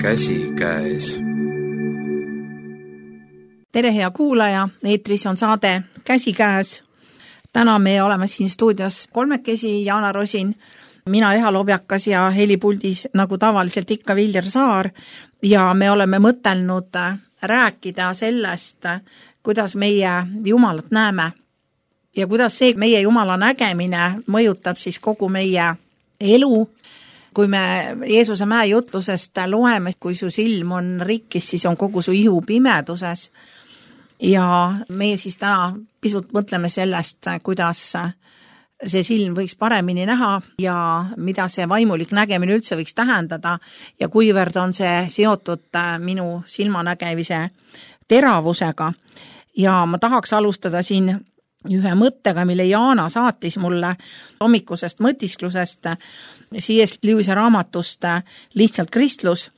Käsikäes. Tere hea kuulaja, eetris on saade Käsikäes. Täna me oleme siin stuudios kolmekesi, Jaana Rosin, mina Eha Lobjakas ja helipuldis nagu tavaliselt ikka Viljar Saar ja me oleme mõtelnud rääkida sellest, kuidas meie Jumalat näeme ja kuidas see meie Jumala nägemine mõjutab siis kogu meie elu. Kui me Jeesuse mäe jutlusest loeme, kui su silm on rikkis, siis on kogu su ihu pimeduses. Ja meie siis täna pisut mõtleme sellest, kuidas see silm võiks paremini näha ja mida see vaimulik nägemine üldse võiks tähendada ja kuivõrd on see seotud minu silmanägemise teravusega. Ja ma tahaks alustada siin ühe mõttega, mille Jaana saatis mulle hommikusest mõtisklusest C.S. Lewise raamatust Lihtsalt kristlus.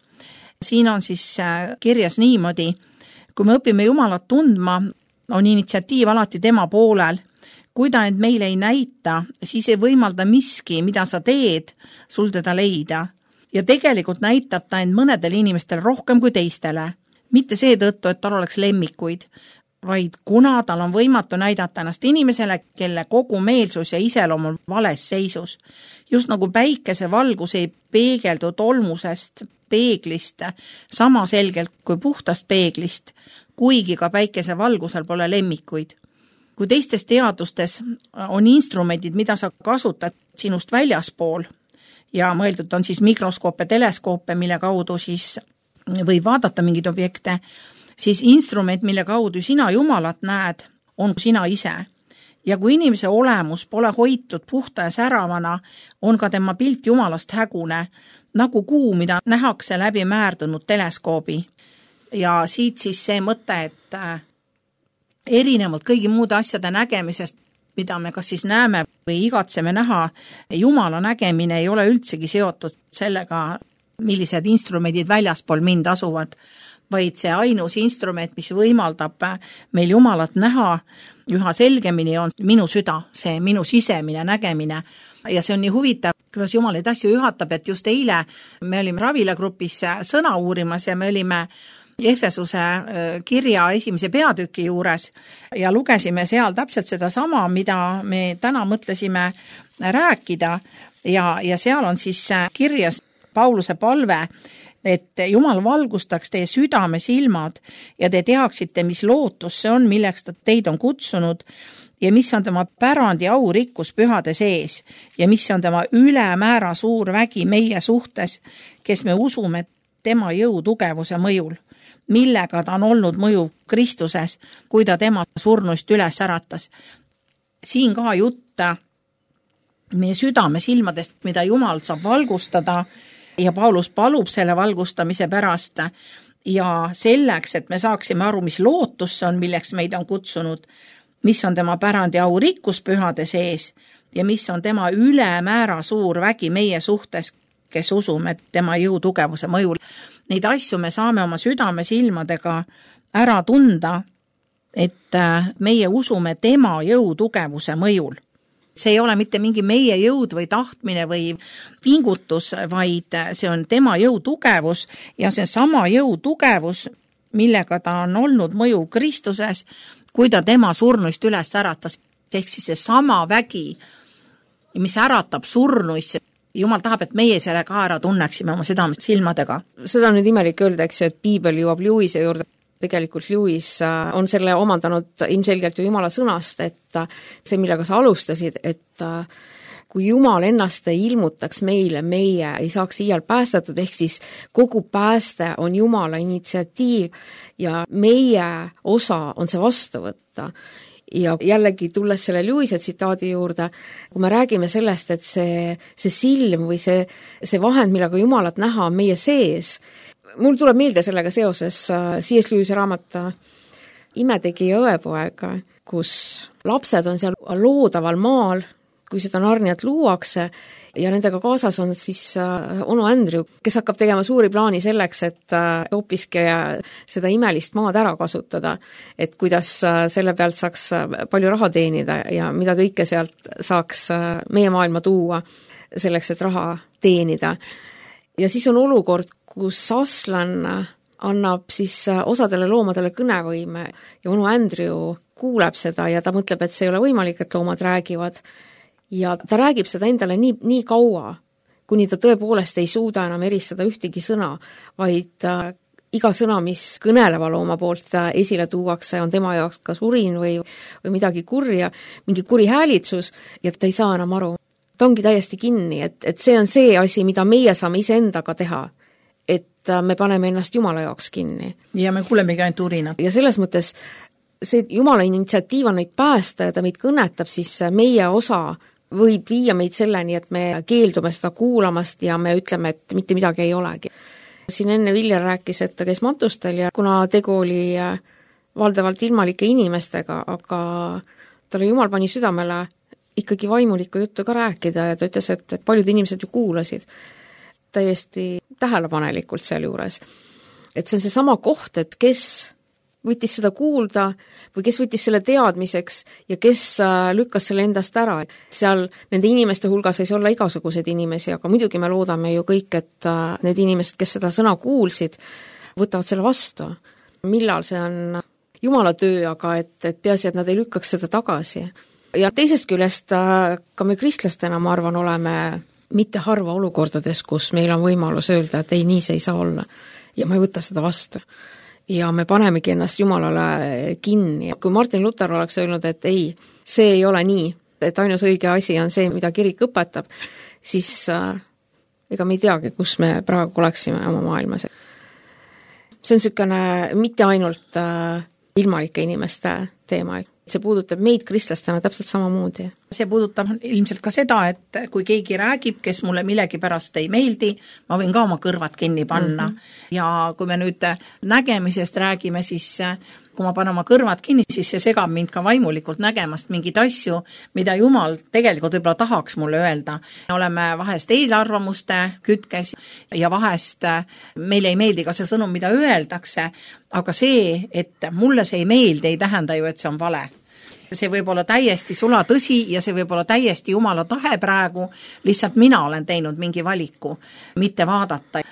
Siin on siis kirjas niimoodi, kui me õpime Jumalat tundma, on initsiatiiv alati tema poolel. Kui ta end meile ei näita, siis ei võimalda miski, mida sa teed, sul teda leida. Ja tegelikult näitab ta end mõnedel inimestel rohkem kui teistele. Mitte seetõttu, et tal oleks lemmikuid, vaid kuna tal on võimatu näidata ennast inimesele, kelle kogu meelsus ja iseloom on vales seisus. Just nagu päikese valgus ei peegeldu tolmusest peeglist sama selgelt kui puhtast peeglist, kuigi ka päikese valgusel pole lemmikuid. Kui teistes teadustes on instrumendid, mida sa kasutad sinust väljaspool ja mõeldud on siis mikroskoope, teleskoope, mille kaudu siis võib vaadata mingid objekte, siis instrument, mille kaudu sina Jumalat näed, on sina ise. Ja kui inimese olemus pole hoitud puhta ja säravana, on ka tema pilt Jumalast hägune, nagu kuu, mida nähakse läbi määrdunud teleskoobi. Ja siit siis see mõte, et erinevalt kõigi muude asjade nägemisest, mida me kas siis näeme või igatseme näha, Jumala nägemine ei ole üldsegi seotud sellega, millised instrumendid väljaspool mind asuvad, vaid see ainus instrument, mis võimaldab meil Jumalat näha üha selgemini, on minu süda, see minu sisemine nägemine. Ja see on nii huvitav, kuidas Jumal neid asju juhatab, et just eile me olime Ravila-grupis sõna uurimas ja me olime Efesuse kirja esimese peatüki juures ja lugesime seal täpselt seda sama, mida me täna mõtlesime rääkida ja seal on siis kirjas Pauluse palve, et Jumal valgustaks teie südame silmad ja te teaksite, mis lootus see on, milleks ta teid on kutsunud ja mis on tema pärandi au rikkus pühade sees ja mis on tema ülemäära suur vägi meie suhtes, kes me usume tema jõu tugevuse mõjul, millega ta on olnud mõjuv Kristuses, kui ta tema surnuist üles äratas. Siin ka jutta meie südame silmadest, mida Jumal saab valgustada ja Paulus palub selle valgustamise pärast ja selleks, et me saaksime aru, mis lootus see on, milleks meid on kutsunud, mis on tema pärandi au rikkus pühade sees ja mis on tema ülemäära suur vägi meie suhtes, kes usume tema jõu tugevuse mõjul. Neid asju me saame oma südame silmadega ära tunda, et meie usume tema jõu tugevuse mõjul. See ei ole mitte mingi meie jõud või tahtmine või pingutus, vaid see on tema jõu tugevus ja see sama jõu tugevus, millega ta on olnud mõju Kristuses, kui ta tema surnuist üles äratas. Ehk siis see sama vägi, mis äratab surnuisse. Jumal tahab, et meie selle ka ära tunneksime oma südamest silmadega. Seda on nüüd imelik öelda, et piibel jõuab Lewise juurde. Tegelikult Lewis on selle omandanud ilmselgelt ju Jumala sõnast, et see, millega sa alustasid, et kui Jumal ennast ei ilmutaks meile, meie ei saaks iial päästetud, ehk siis kogu pääste on Jumala initsiatiiv ja meie osa on see vastu võtta. Ja jällegi tulles selle Lewise tsitaadi juurde, kui me räägime sellest, et see silm või see vahend, millega Jumalat näha on meie sees, mul tuleb meelde sellega seoses C.S. Lewise raamat Imetegija õepoeg, kus lapsed on seal loodaval maal, kui seda Narniat luuakse ja nendega kaasas on siis onu Andrew, kes hakkab tegema suuri plaani selleks, et hoopiski seda imelist maad ära kasutada, et kuidas selle pealt saaks palju raha teenida ja mida kõike sealt saaks meie maailma tuua selleks, et raha teenida. Ja siis on olukord, kus Aslan annab siis osadele loomadele kõnevõime ja onu Andrew kuuleb seda ja ta mõtleb, et see ei ole võimalik, et loomad räägivad. Ja ta räägib seda endale nii kaua, kuni ta tõepoolest ei suuda enam eristada ühtegi sõna, vaid iga sõna, mis kõneleva looma poolt esile tuuakse, on tema jaoks kas urin või midagi kurja, mingi kuri häälitsus ja ta ei saa enam aru. Ta ongi täiesti kinni, et see on see asi, mida meie saame iseendaga teha, et me paneme ennast Jumala jaoks kinni. Ja me kuulemegi ainult urinat. Ja selles mõttes see Jumala initsiatiiv on neid päästa ja ta meid kõnetab, siis meie osa võib viia meid selleni, et me keeldume seda kuulamast ja me ütleme, et mitte midagi ei olegi. Siin enne Viljar rääkis, et ta käis matustel ja kuna tegu oli valdavalt ilmalike inimestega, aga talle Jumal pani südamele ikkagi vaimulikku juttu ka rääkida ja ta ütles, et paljud inimesed ju kuulasid täiesti tähelepanelikult seal juures. Et see on see sama koht, et kes võttis seda kuulda või kes võttis selle teadmiseks ja kes lükkas selle endast ära. Seal nende inimeste hulgas võis olla igasuguseid inimesi, aga muidugi me loodame ju kõik, et need inimesed, kes seda sõna kuulsid, võtavad selle vastu. Millal see on Jumala töö, aga et peaasi, et nad ei lükkaks seda tagasi. Ja teisest küljest ka me kristlastena, ma arvan, oleme mitte harva olukordades, kus meil on võimalus öelda, et ei, nii see ei saa olla. Ja ma ei võta seda vastu. Ja me panemegi ennast Jumalale kinni. Kui Martin Luther oleks öelnud, et ei, see ei ole nii, et ainus õige asi on see, mida kirik õpetab, siis ega me ei teagi, kus me praegu oleksime oma maailmas. See on niisugune mitte ainult ilmalike inimeste teema, see puudutab meid kristlastena täpselt samamoodi. See puudutab ilmselt ka seda, et kui keegi räägib, kes mulle millegi pärast ei meeldi, ma võin ka oma kõrvad kinni panna. Ja kui me nüüd nägemisest räägime, siis kui ma panen oma kõrvad kinni, siis see segab mind ka vaimulikult nägemast mingid asju, mida Jumal tegelikult võib-olla tahaks mulle öelda. Me oleme vahest eelarvamuste kütkes ja vahest meile ei meeldi ka see sõnum, mida öeldakse, aga see, et mulle see ei meeldi, ei tähenda ju, et see on vale. See võib olla täiesti sula tõsi ja see võib olla täiesti Jumala tahe praegu, lihtsalt mina olen teinud mingi valiku, mitte vaadata.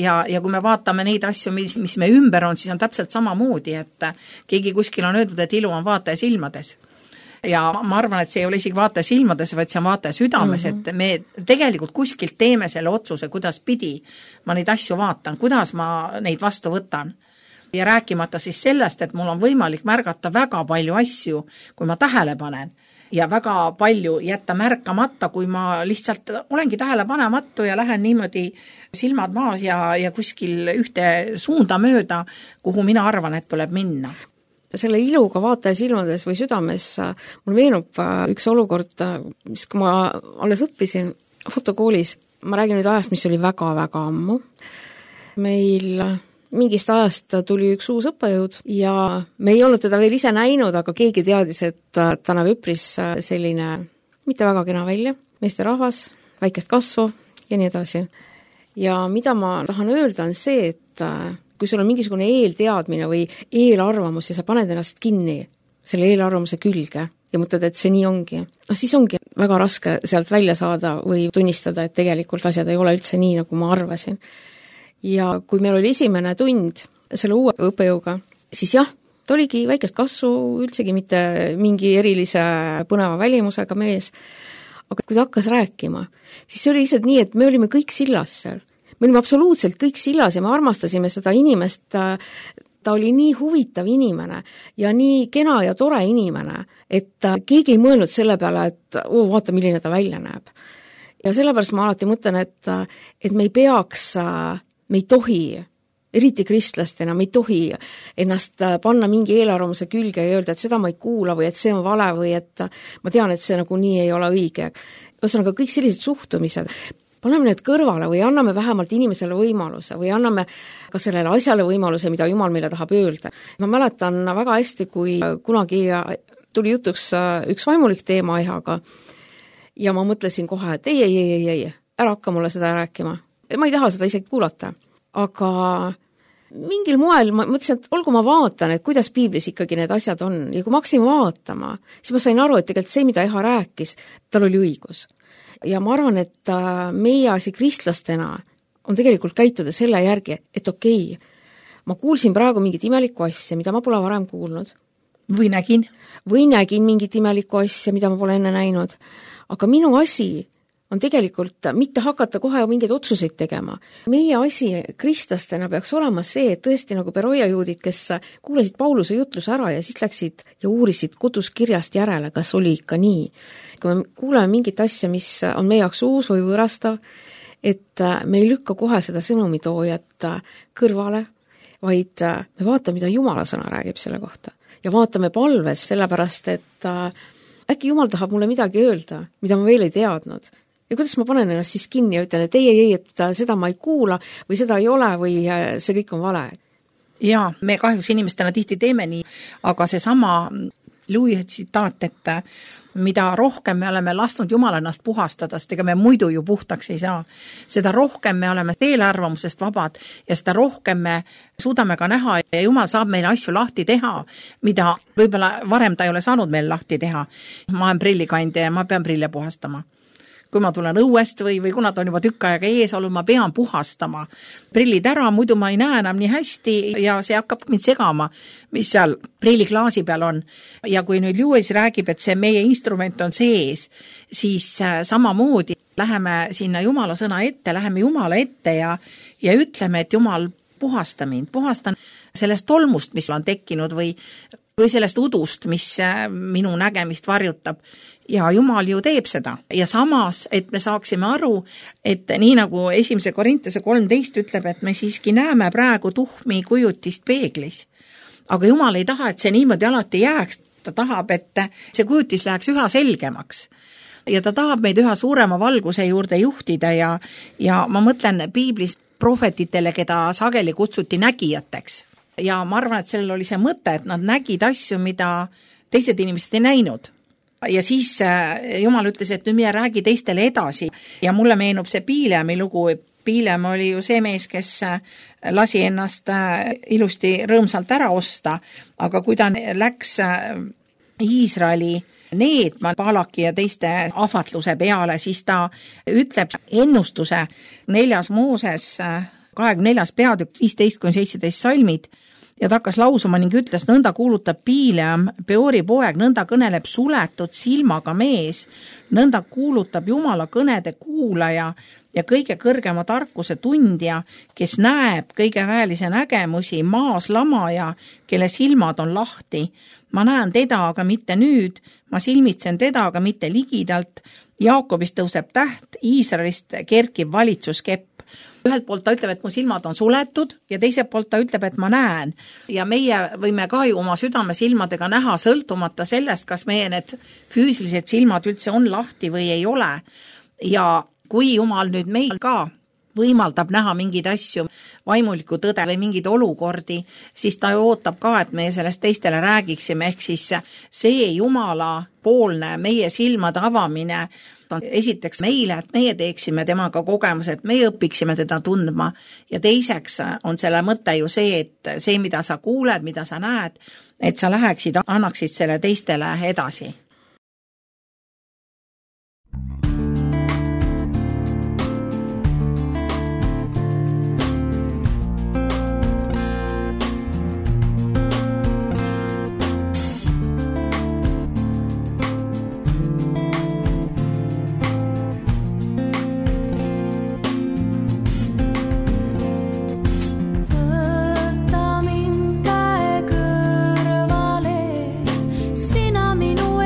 Ja kui me vaatame neid asju, mis me ümber on, siis on täpselt samamoodi, et keegi kuskil on öeldud, et ilu on vaataja silmades. Ja ma arvan, et see ei ole isegi vaataja silmades, vaid see on vaataja südames, et me tegelikult kuskilt teeme selle otsuse, kuidas pidi ma neid asju vaatan, kuidas ma neid vastu võtan. Ja rääkimata siis sellest, et mul on võimalik märgata väga palju asju, kui ma tähele panen ja väga palju jätta märkamata, kui ma lihtsalt olengi tähelepanematu ja lähen niimoodi silmad maas ja kuskil ühte suunda mööda, kuhu mina arvan, et tuleb minna. Selle iluga vaataja silmades või südames mul meenub üks olukord, mis kui ma alles õppisin fotokoolis. Ma räägin nüüd ajast, mis oli väga-väga ammu. Meil mingist ajast tuli üks uus õppejõud ja me ei olnud teda veel ise näinud, aga keegi teadis, et ta näeb üpris selline mitte väga kena välja, meesterahvas, väikest kasvu ja nii edasi. Ja mida ma tahan öelda on see, et kui sul on mingisugune eelteadmine või eelarvamus ja sa paned ennast kinni selle eelarvamuse külge ja mõtled, et see nii ongi, siis ongi väga raske sealt välja saada või tunnistada, et tegelikult asjad ei ole üldse nii, nagu ma arvasin. Ja kui meil oli esimene tund selle uue õppejõuga, siis jah, ta oligi väikest kasvu, üldsegi mitte mingi erilise põneva välimusega mees, aga kui ta hakkas rääkima, siis see oli lihtsalt nii, et me olime kõik sillas seal. Me olime absoluutselt kõik sillas ja me armastasime seda inimest, ta oli nii huvitav inimene ja nii kena ja tore inimene, et keegi ei mõelnud selle peale, et vaata, milline ta välja näeb. Ja sellepärast ma alati mõtlen, et me ei peaks me ei tohi, eriti kristlastena, me ei tohi ennast panna mingi eelarvamuse külge ja öelda, et seda ma ei kuula või et see on vale või et ma tean, et see nagu nii ei ole õige. Ühesõnaga kõik sellised suhtumised, paneme need kõrvale või anname vähemalt inimesele võimaluse või anname ka sellele asjale võimaluse, mida Jumal meile tahab öelda. Ma mäletan väga hästi, kui kunagi tuli jutuks üks vaimulik teema ehaga ja ma mõtlesin kohe, et ei, ära hakka mulle seda rääkima. Ma ei taha seda isegi kuulata, aga mingil moel ma mõtlesin, et olgu ma vaatan, et kuidas piiblis ikkagi need asjad on ja kui ma hakkasin vaatama, siis ma sain aru, et tegelikult see, mida Eha rääkis, tal oli õigus. Ja ma arvan, et meie asi kristlastena on tegelikult käituda selle järgi, et okei, ma kuulsin praegu mingit imelikku asja, mida ma pole varem kuulnud. Või nägin mingit imelikku asja, mida ma pole enne näinud. Aga minu asi on tegelikult mitte hakata kohe mingeid otsuseid tegema. Meie asi kristlastena peaks olema see, et tõesti nagu Beroia juudid, kes kuulasid Pauluse jutluse ära ja siis läksid ja uurisid koduskirjast järele, kas oli ikka nii. Kui me kuuleme mingit asja, mis on meie jaoks uus või võõrastav, et me ei lükka kohe seda sõnumitoojat kõrvale, vaid me vaatame, mida Jumala sõna räägib selle kohta. Ja vaatame palves sellepärast, et äkki Jumal tahab mulle midagi öelda, mida ma veel ei teadnud. Ja kuidas ma panen ennast siis kinni ja ütlen, et ei, et seda ma ei kuula või seda ei ole või see kõik on vale. Jaa, me kahjuks inimestena tihti teeme nii, aga see sama Louis tsitaat, et mida rohkem me oleme lasknud Jumal ennast puhastada, sest ega me muidu ju puhtaks ei saa. Seda rohkem me oleme eelarvamusest vabad ja seda rohkem me suudame ka näha ja Jumal saab meile asju lahti teha, mida võib-olla varem ta ei ole saanud meil lahti teha. Ma olen prillikandja ja ma pean prille puhastama. Kui ma tulen õuest või kuna ta on juba tükk aega ees olnud, ma pean puhastama prillid ära, muidu ma ei näe enam nii hästi ja see hakkab mind segama, mis seal prilliklaasi peal on. Ja kui nüüd Lewis räägib, et see meie instrument on sees, siis samamoodi läheme sinna Jumala sõna ette, läheme Jumala ette ja ütleme, et Jumal, puhasta mind, puhastan sellest tolmust, mis on tekkinud või sellest udust, mis minu nägemist varjutab. Ja Jumal ju teeb seda. Ja samas, et me saaksime aru, et nii nagu 1. Korintuse 13 ütleb, et me siiski näeme praegu tuhmi kujutist peeglis. Aga Jumal ei taha, et see niimoodi alati jääks. Ta tahab, et see kujutis läheks üha selgemaks. Ja ta tahab meid üha suurema valguse juurde juhtida ja ma mõtlen piiblis prohvetitele, keda sageli kutsuti nägijateks. Ja ma arvan, et sellel oli see mõte, et nad nägid asju, mida teised inimesed ei näinud. Ja siis Jumal ütles, et nüüd mine räägi teistele edasi. Ja mulle meenub see Piileami lugu. Piilem oli ju see mees, kes lasi ennast ilusti rõõmsalt ära osta, aga kui ta läks Iisraeli needma Balaki ja teiste ahvatluse peale, siis ta ütleb ennustuse 4. Mooses 24. peatükk 15-17 salmid, ja ta hakkas lausuma ning ütles, nõnda kuulutab Piileam, Peori poeg, nõnda kõneleb suletud silmaga mees, nõnda kuulutab Jumala kõnede kuulaja ja kõige kõrgema tarkuse tundja, kes näeb kõige väelise nägemusi, maas lamaja, kelle silmad on lahti. Ma näen teda, aga mitte nüüd, ma silmitsen teda, aga mitte ligidalt. Jaakobist tõuseb täht, Iisraelist kerkib valitsuskepp. Ühelt poolt ta ütleb, et mu silmad on suletud ja teiselt poolt ta ütleb, et ma näen. Ja meie võime ka ju oma südame silmadega näha sõltumata sellest, kas meie need füüsilised silmad üldse on lahti või ei ole. Ja kui Jumal nüüd meil ka võimaldab näha mingeid asju, vaimulikku tõde või mingeid olukordi, siis ta ootab ka, et meie sellest teistele räägiksime, ehk siis see Jumala poolne meie silmade avamine on esiteks meile, et meie teeksime temaga kogemuse, et meie õpiksime teda tundma ja teiseks on selle mõte ju see, et see, mida sa kuuled, mida sa näed, et sa läheksid, annaksid selle teistele edasi. Võta mind käe kõrvale, sina minu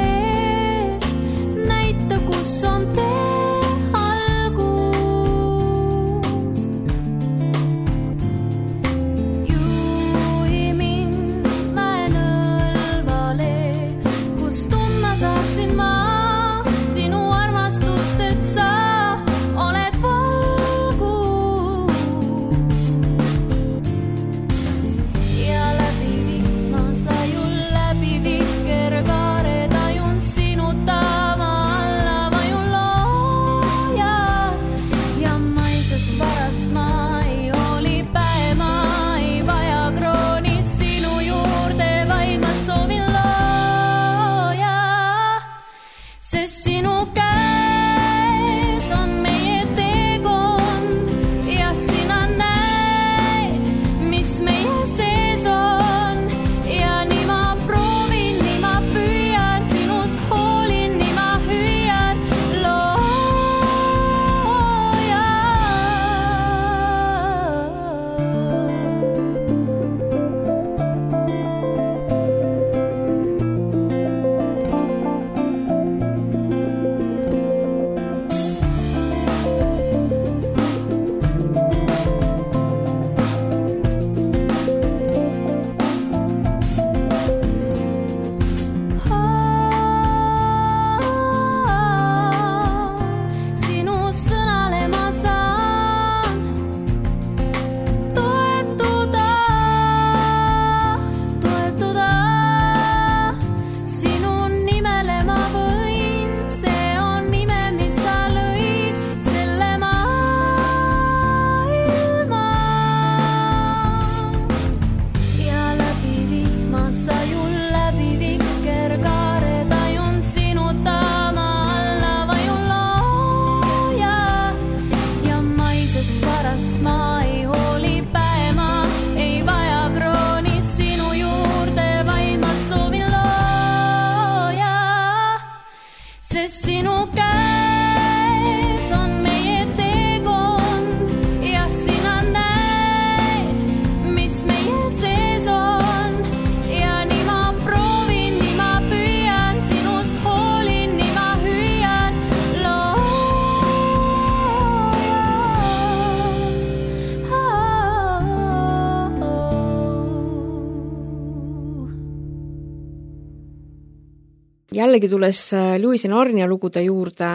jällegi tulles Lewisi Narnia lugude juurde,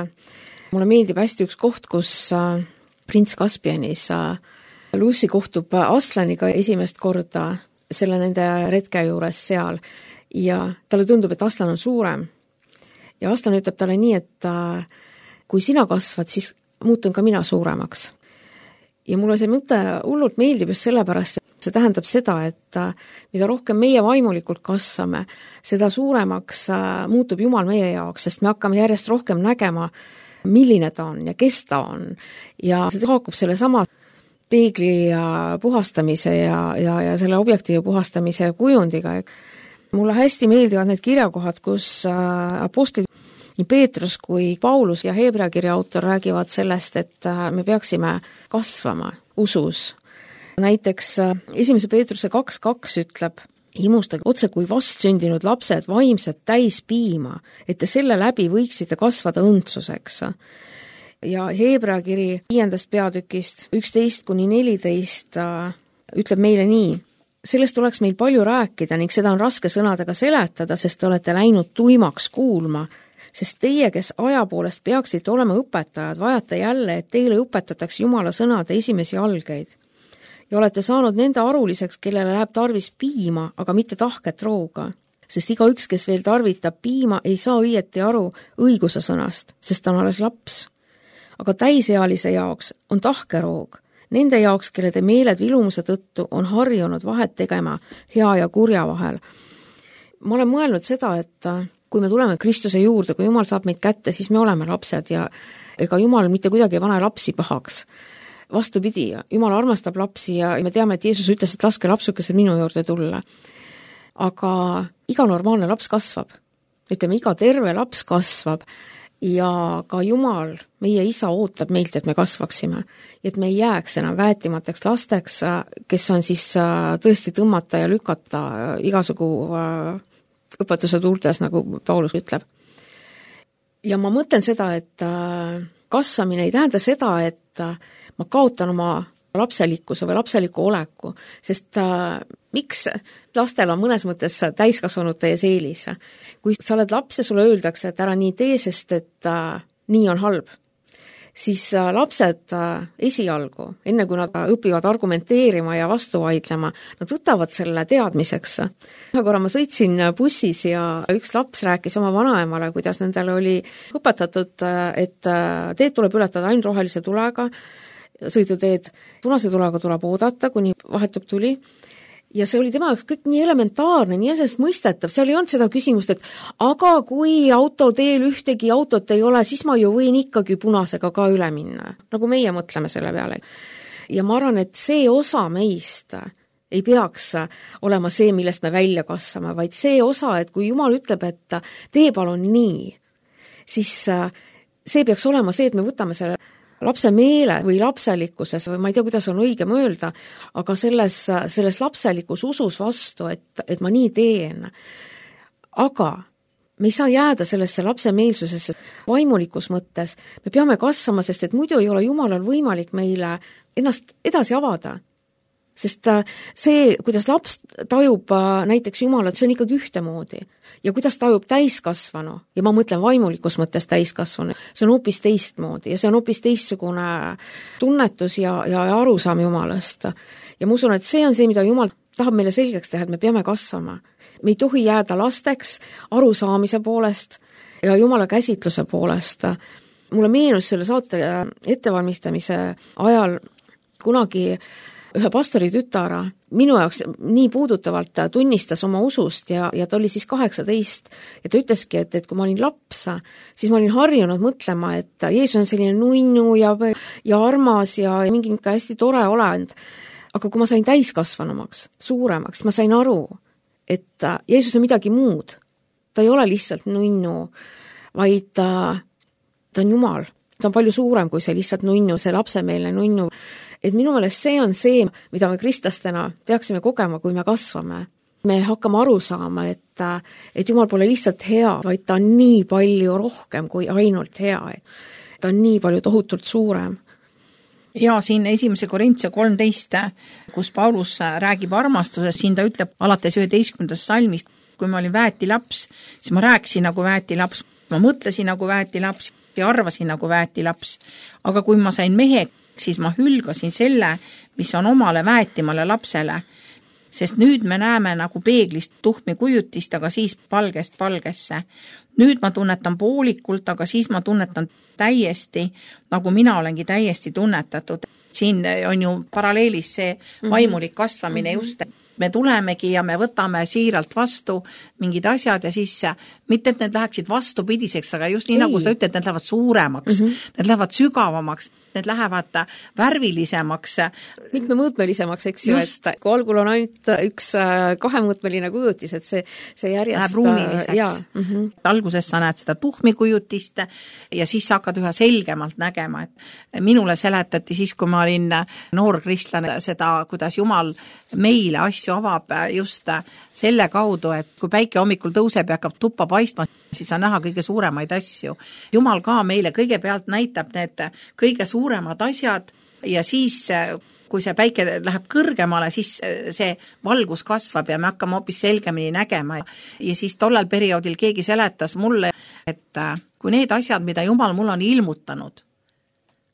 mulle meeldib hästi üks koht, kus prints Caspianis Lucy kohtub Aslaniga esimest korda selle nende retke juures seal ja talle tundub, et Aslan on suurem. Ja Aslan ütleb talle nii, et kui sina kasvad, siis muutun ka mina suuremaks. Ja mulle see mõte hullult meeldib just sellepärast, et see tähendab seda, et mida rohkem meie vaimulikult kasvame, seda suuremaks muutub Jumal meie jaoks, sest me hakkame järjest rohkem nägema, milline ta on ja kes ta on. Ja see haakub selle sama peegli puhastamise ja selle objektiivi puhastamise kujundiga. Mulle hästi meeldivad need kirjakohad, kus apostlid nii Peetrus kui Paulus ja Heebrea kirja autor räägivad sellest, et me peaksime kasvama usus. Näiteks 1. Peetruse 2.2 ütleb, himustage otse kui vastsündinud lapsed vaimsed täis piima, et te selle läbi võiksite kasvada õndsuseks. Ja Heebrea kiri 5. peatükist 11-14 ütleb meile nii, sellest oleks meil palju rääkida ning seda on raske sõnadega seletada, sest te olete läinud tuimaks kuulma, sest teie, kes aja poolest peaksite olema õpetajad, vajate jälle, et teile õpetatakse Jumala sõnade esimesi algeid. Ja olete saanud nende aruliseks, kellele läheb tarvis piima, aga mitte tahket rooga. Sest igaüks, kes veel tarvitab piima, ei saa õieti aru õiguse sõnast, sest ta on alles laps. Aga täisealise jaoks on tahkeroog. Nende jaoks, kelle te meeled vilumuse tõttu on harjunud vahet tegema hea ja kurja vahel. Ma olen mõelnud seda, et kui me tuleme Kristuse juurde, kui Jumal saab meid kätte, siis me oleme lapsed ja ega Jumal mitte kuidagi ei pane lapsi pahaks. Vastupidi, Jumal armastab lapsi ja me teame, et Jeesus ütles, et laske lapsukesel minu juurde tulla. Aga iga normaalne laps kasvab. Ütleme, iga terve laps kasvab ja ka Jumal, meie isa ootab meilt, et me kasvaksime. Et me ei jääks enam väetimateks lasteks, kes on siis tõesti tõmmata ja lükata igasugu õpetuse tuultes, nagu Paulus ütleb. Ja ma mõtlen seda, et kasvamine ei tähenda seda, et ma kaotan oma lapselikkuse või lapseliku oleku, sest miks lastel on mõnes mõttes täiskasvanute ees eelis. Kui sa oled laps ja sulle öeldakse, et ära nii tee, sest et nii on halb, siis lapsed esialgu, enne kui nad õpivad argumenteerima ja vastu vaidlema, nad võtavad selle teadmiseks. Ühe korra ma sõitsin bussis ja üks laps rääkis oma vanaemale, kuidas nendele oli õpetatud, et teed tuleb ületada ainult rohelise tulega, sõiduteed punase tulega tuleb oodata, kuni vahetub tuli. Ja see oli tema jaoks kõik nii elementaarne, nii mõistetav, seal ei olnud seda küsimust, et aga kui autoteel ühtegi autot ei ole, siis ma ju võin ikkagi punasega ka üle minna, nagu meie mõtleme selle peale. Ja ma arvan, et see osa meist ei peaks olema see, millest me välja kasvame, vaid see osa, et kui Jumal ütleb, et tee palun nii, siis see peaks olema see, et me võtame selle lapse meele või lapselikkuses, või ma ei tea, kuidas on õige mõelda, aga selles lapselikus usus vastu, et ma nii teen. Aga me ei saa jääda sellesse lapsemeelsusesse vaimulikus mõttes. Me peame kasvama, sest et muidu ei ole Jumalal võimalik meile ennast edasi avada. Sest see, kuidas laps tajub näiteks Jumalat, see on ikkagi ühtemoodi. Ja kuidas tajub täiskasvanu, ja ma mõtlen vaimulikus mõttes täiskasvanu, see on hoopis teistmoodi ja see on hoopis teistsugune tunnetus ja arusaam Jumalast. Ja ma usun, et see on see, mida Jumal tahab meile selgeks teha, et me peame kasvama. Me ei tohi jääda lasteks arusaamise poolest ja Jumala käsitluse poolest. Mulle meenus selle saate ettevalmistamise ajal kunagi ühe pastori tütara minu jaoks nii puudutavalt tunnistas oma usust ja ta oli siis 18 ja ta ütleski, et kui ma olin laps, siis ma olin harjunud mõtlema, et Jeesus on selline nunnu ja armas ja mingi hästi tore olend. Aga kui ma sain täiskasvanumaks, suuremaks, ma sain aru, et Jeesus on midagi muud. Ta ei ole lihtsalt nunnu, vaid ta on Jumal. Ta on palju suurem kui see lihtsalt nunnu, see lapsemeelne nunnu. Et minu meelest see on see, mida me kristlastena peaksime kogema, kui me kasvame. Me hakkame aru saama, et Jumal pole lihtsalt hea, vaid ta on nii palju rohkem kui ainult hea. Ta on nii palju tohutult suurem. Ja siin 1. Korintuse 13, kus Paulus räägib armastusest, siin ta ütleb alates 11. salmist, kui ma olin väetilaps, siis ma rääkisin nagu väetilaps, ma mõtlesin nagu väetilaps ja arvasin nagu väetilaps. Aga kui ma sain meheks, siis ma hülgasin selle, mis on omale väetimale lapsele. Sest nüüd me näeme nagu peeglist tuhmi kujutist, aga siis palgest palgesse. Nüüd ma tunnetan poolikult, aga siis ma tunnetan täiesti, nagu mina olengi täiesti tunnetatud. Siin on ju paralleelis see vaimulik kasvamine just. Me tulemegi ja me võtame siiralt vastu mingid asjad ja siis mitte, et need läheksid vastupidiseks, aga just nii nagu sa ütled, need lähevad suuremaks, need lähevad sügavamaks, need lähevad värvilisemaks. Mitmemõõtmelisemaks, eks ju, et kui algul on ainult üks kahemõõtmeline kujutis, et see järjest läheb ruumiliseks. Alguses sa näed seda tuhmi kujutist ja siis sa hakkad üha selgemalt nägema. Et minule seletati siis, kui ma olin noor kristlane, seda, kuidas Jumal meile asju avab just selle kaudu, et kui päike hommikul tõuseb ja hakkab tuppa paistma, siis on näha kõige suuremaid asju. Jumal ka meile kõigepealt näitab need kõige suuremad asjad ja siis, kui see päike läheb kõrgemale, siis see valgus kasvab ja me hakkame hoopis selgemini nägema. Ja siis tollel perioodil keegi seletas mulle, et kui need asjad, mida Jumal mul on ilmutanud,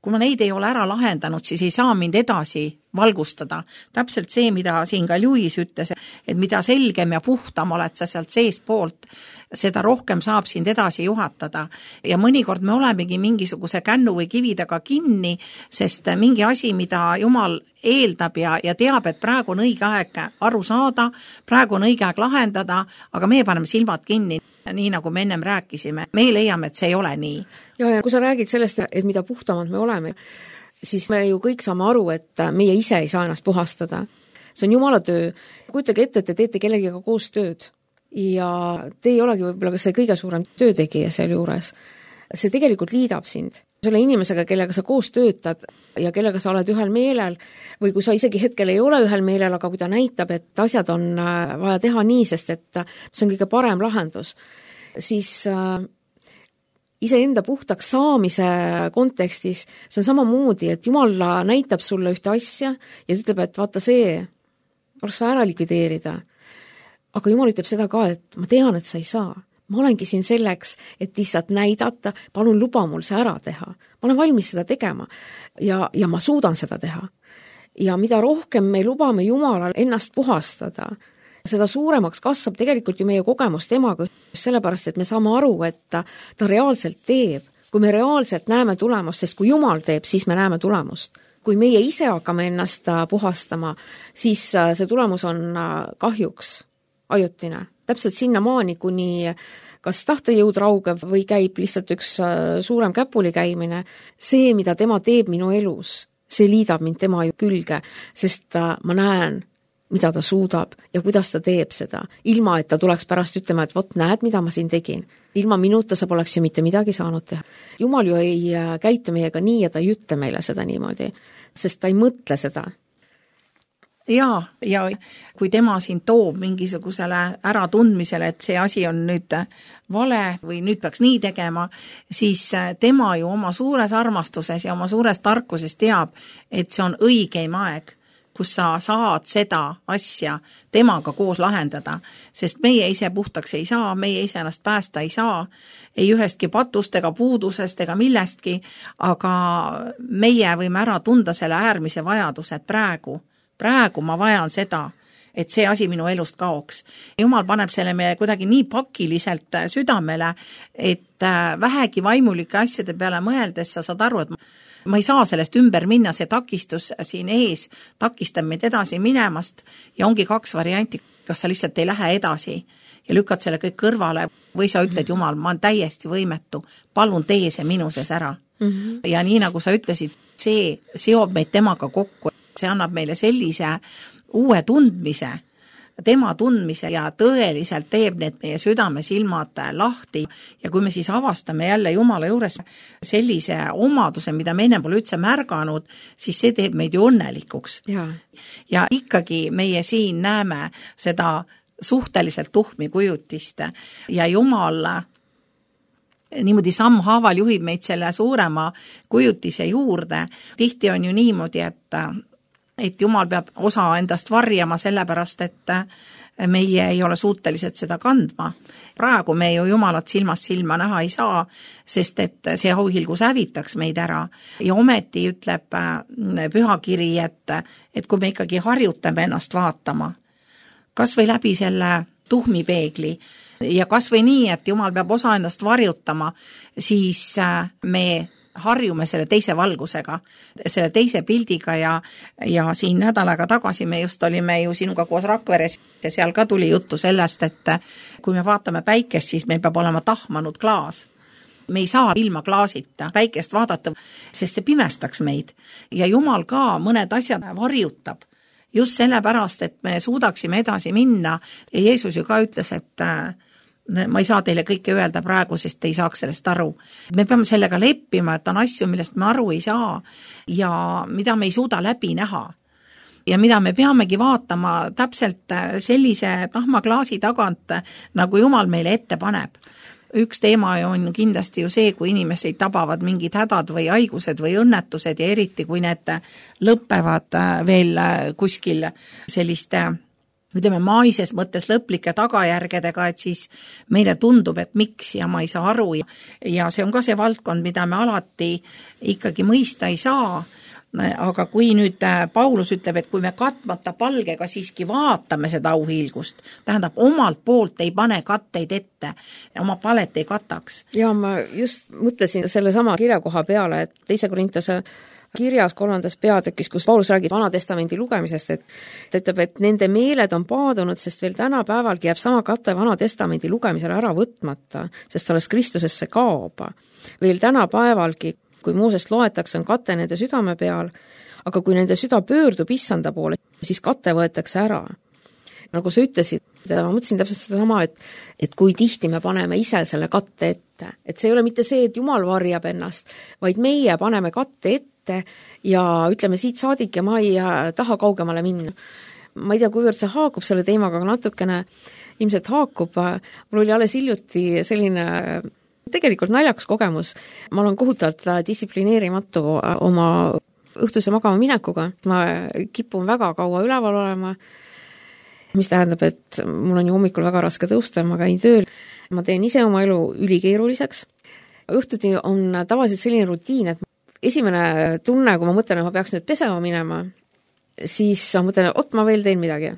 kui ma neid ei ole ära lahendanud, siis ei saa mind edasi valgustada. Täpselt see, mida siin ka Lewis ütles, et mida selgem ja puhtam oled sa sealt sees poolt, seda rohkem saab sind edasi juhatada. Ja mõnikord me olemegi mingisuguse kännu või kivi taga kinni, sest mingi asi, mida Jumal eeldab ja teab, et praegu on õige aeg aru saada, praegu on õige aeg lahendada, aga meie paneme silmad kinni. Nii nagu me ennem rääkisime, me leiame, et see ei ole nii. Ja kui sa räägid sellest, et mida puhtamad me oleme, siis me ju kõik saame aru, et meie ise ei saa ennast puhastada. See on Jumala töö. Kujutage ette, et te teete kellegiga koos tööd ja te ei olegi võib-olla ka see kõige suurem töötegija seal juures. See tegelikult liidab sind. Selle inimesega, kellega sa koos töötad ja kellega sa oled ühel meelel või kui sa isegi hetkel ei ole ühel meelel, aga kui ta näitab, et asjad on vaja teha nii, sest et see on kõige parem lahendus, siis iseenda puhtaks saamise kontekstis see on samamoodi, et Jumal näitab sulle ühte asja ja ütleb, et vaata see oleks vaja ära likvideerida. Aga Jumal ütleb seda ka, et ma tean, et sa ei saa. Ma olengi siin selleks, et lihtsalt näidata, palun luba mul see ära teha. Ma olen valmis seda tegema ja ma suudan seda teha. Ja mida rohkem me lubame Jumalal ennast puhastada, seda suuremaks kasvab tegelikult ju meie kogemus temaga, sellepärast, et me saame aru, et ta reaalselt teeb. Kui me reaalselt näeme tulemust, sest kui Jumal teeb, siis me näeme tulemust. Kui meie ise hakkame ennast puhastama, siis see tulemus on kahjuks ajutine. Täpselt sinna maani, kuni kas tahtejõud raugeb või käib lihtsalt üks suurem käpuli käimine. See, mida tema teeb minu elus, see liidab mind tema külge, sest ma näen, mida ta suudab ja kuidas ta teeb seda. Ilma, et ta tuleks pärast ütlema, et vot näed, mida ma siin tegin. Ilma minuta sa poleks ju mitte midagi saanud teha. Jumal ju ei käitu meiega nii ja ta ei ütle meile seda niimoodi, sest ta ei mõtle seda. Ja kui tema siin toob mingisugusele äratundmisele, et see asi on nüüd vale või nüüd peaks nii tegema, siis tema ju oma suures armastuses ja oma suures tarkuses teab, et see on õigeim aeg, kus sa saad seda asja temaga koos lahendada, sest meie ise puhtaks ei saa, meie ise ennast päästa ei saa, ei ühestki patust ega puudusest ega millestki, aga meie võime ära tunda selle äärmise vajaduse, et praegu ma vajan seda, et see asi minu elust kaoks. Jumal paneb selle me kuidagi nii pakiliselt südamele, et vähegi vaimulike asjade peale mõeldes sa saad aru, et ma ei saa sellest ümber minna, see takistus siin ees takistab meid edasi minemast ja ongi kaks varianti, kas sa lihtsalt ei lähe edasi ja lükkad selle kõik kõrvale või sa ütled, Jumal, ma olen täiesti võimetu, palun tee see minu sees ära. Ja nii nagu sa ütlesid, see seob meid temaga kokku. See annab meile sellise uue tundmise, tema tundmise ja tõeliselt teeb need meie südamesilmad lahti. Ja kui me siis avastame jälle Jumala juures sellise omaduse, mida me enne pole üldse märganud, siis see teeb meid ju õnnelikuks. Ja ikkagi meie siin näeme seda suhteliselt tuhmi kujutist ja Jumal niimoodi sammhaaval juhib meid selle suurema kujutise juurde. Tihti on ju niimoodi, et Jumal peab osa endast varjama sellepärast, et meie ei ole suutelised seda kandma. Praegu me ju Jumalat silmast silma näha ei saa, sest et see auhilgus hävitaks meid ära. Ja ometi ütleb pühakiri, et kui me ikkagi harjutame ennast vaatama, kas või läbi selle tuhmipeegli ja kas või nii, et Jumal peab osa ennast varjutama, siis me harjume selle teise valgusega, selle teise pildiga ja siin nädal aega tagasi me just olime ju sinuga koos Rakveres ja seal ka tuli juttu sellest, et kui me vaatame päikest, siis meil peab olema tahmanud klaas. Me ei saa ilma klaasita päikest vaadata, sest see pimestaks meid. Ja Jumal ka mõned asjad varjutab just sellepärast, et me suudaksime edasi minna. Ja Jeesus ju ka ütles, et ma ei saa teile kõike öelda praegu, sest te ei saaks sellest aru. Me peame sellega leppima, et on asju, millest me aru ei saa ja mida me ei suuda läbi näha. Ja mida me peamegi vaatama täpselt sellise tahmaklaasi tagant, nagu Jumal meile ette paneb. Üks teema on kindlasti ju see, kui inimesed tabavad mingid hädad või haigused või õnnetused ja eriti, kui need lõppevad veel kuskil selliste ütleme maises mõttes lõplike tagajärgedega, et siis meile tundub, et miks ja ma ei saa aru ja see on ka see valdkond, mida me alati ikkagi mõista ei saa, aga kui nüüd Paulus ütleb, et kui me katmata palgega siiski vaatame seda auhiilgust, tähendab omalt poolt ei pane katteid ette, oma palet ei kataks. Ja ma just mõtlesin selle sama kirjakoha peale, et 2. Korintuse kirjas 3. peatükis, kus Paulus räägib Vana Testamendi lugemisest, et ta ütleb, et nende meeled on paadunud, sest veel tänapäevalgi jääb sama katte Vana Testamendi lugemisele ära võtmata, sest alles Kristusesse kaob. Veel tänapäevalgi, kui Moosest loetakse, on kate nende südame peal, aga kui nende süda pöördub issanda poole, siis kate võetakse ära. Nagu sa ütlesid, ma mõtlesin täpselt seda sama, et kui tihti me paneme ise selle katte ette. Et see ei ole mitte see, et Jumal varjab ennast, vaid meie paneme katte ette ja ütleme siit saadik ja ma ei taha kaugemale minna. Ma ei tea, kuivõrd see haakub selle teemaga, aga natukene ilmselt haakub. Mul oli alles hiljuti selline tegelikult naljakas kogemus. Ma olen kohutavalt distsiplineerimatu oma õhtuse magama minekuga. Ma kipun väga kaua üleval olema, mis tähendab, et mul on ju hommikul väga raske tõusta, ma käin tööl. Ma teen ise oma elu ülikeeruliseks. Õhtuti on tavaliselt selline rutiin, et esimene tunne, kui ma mõtlen, et ma peaks nüüd pesema minema, siis ma mõtlen, et ma veel teen midagi.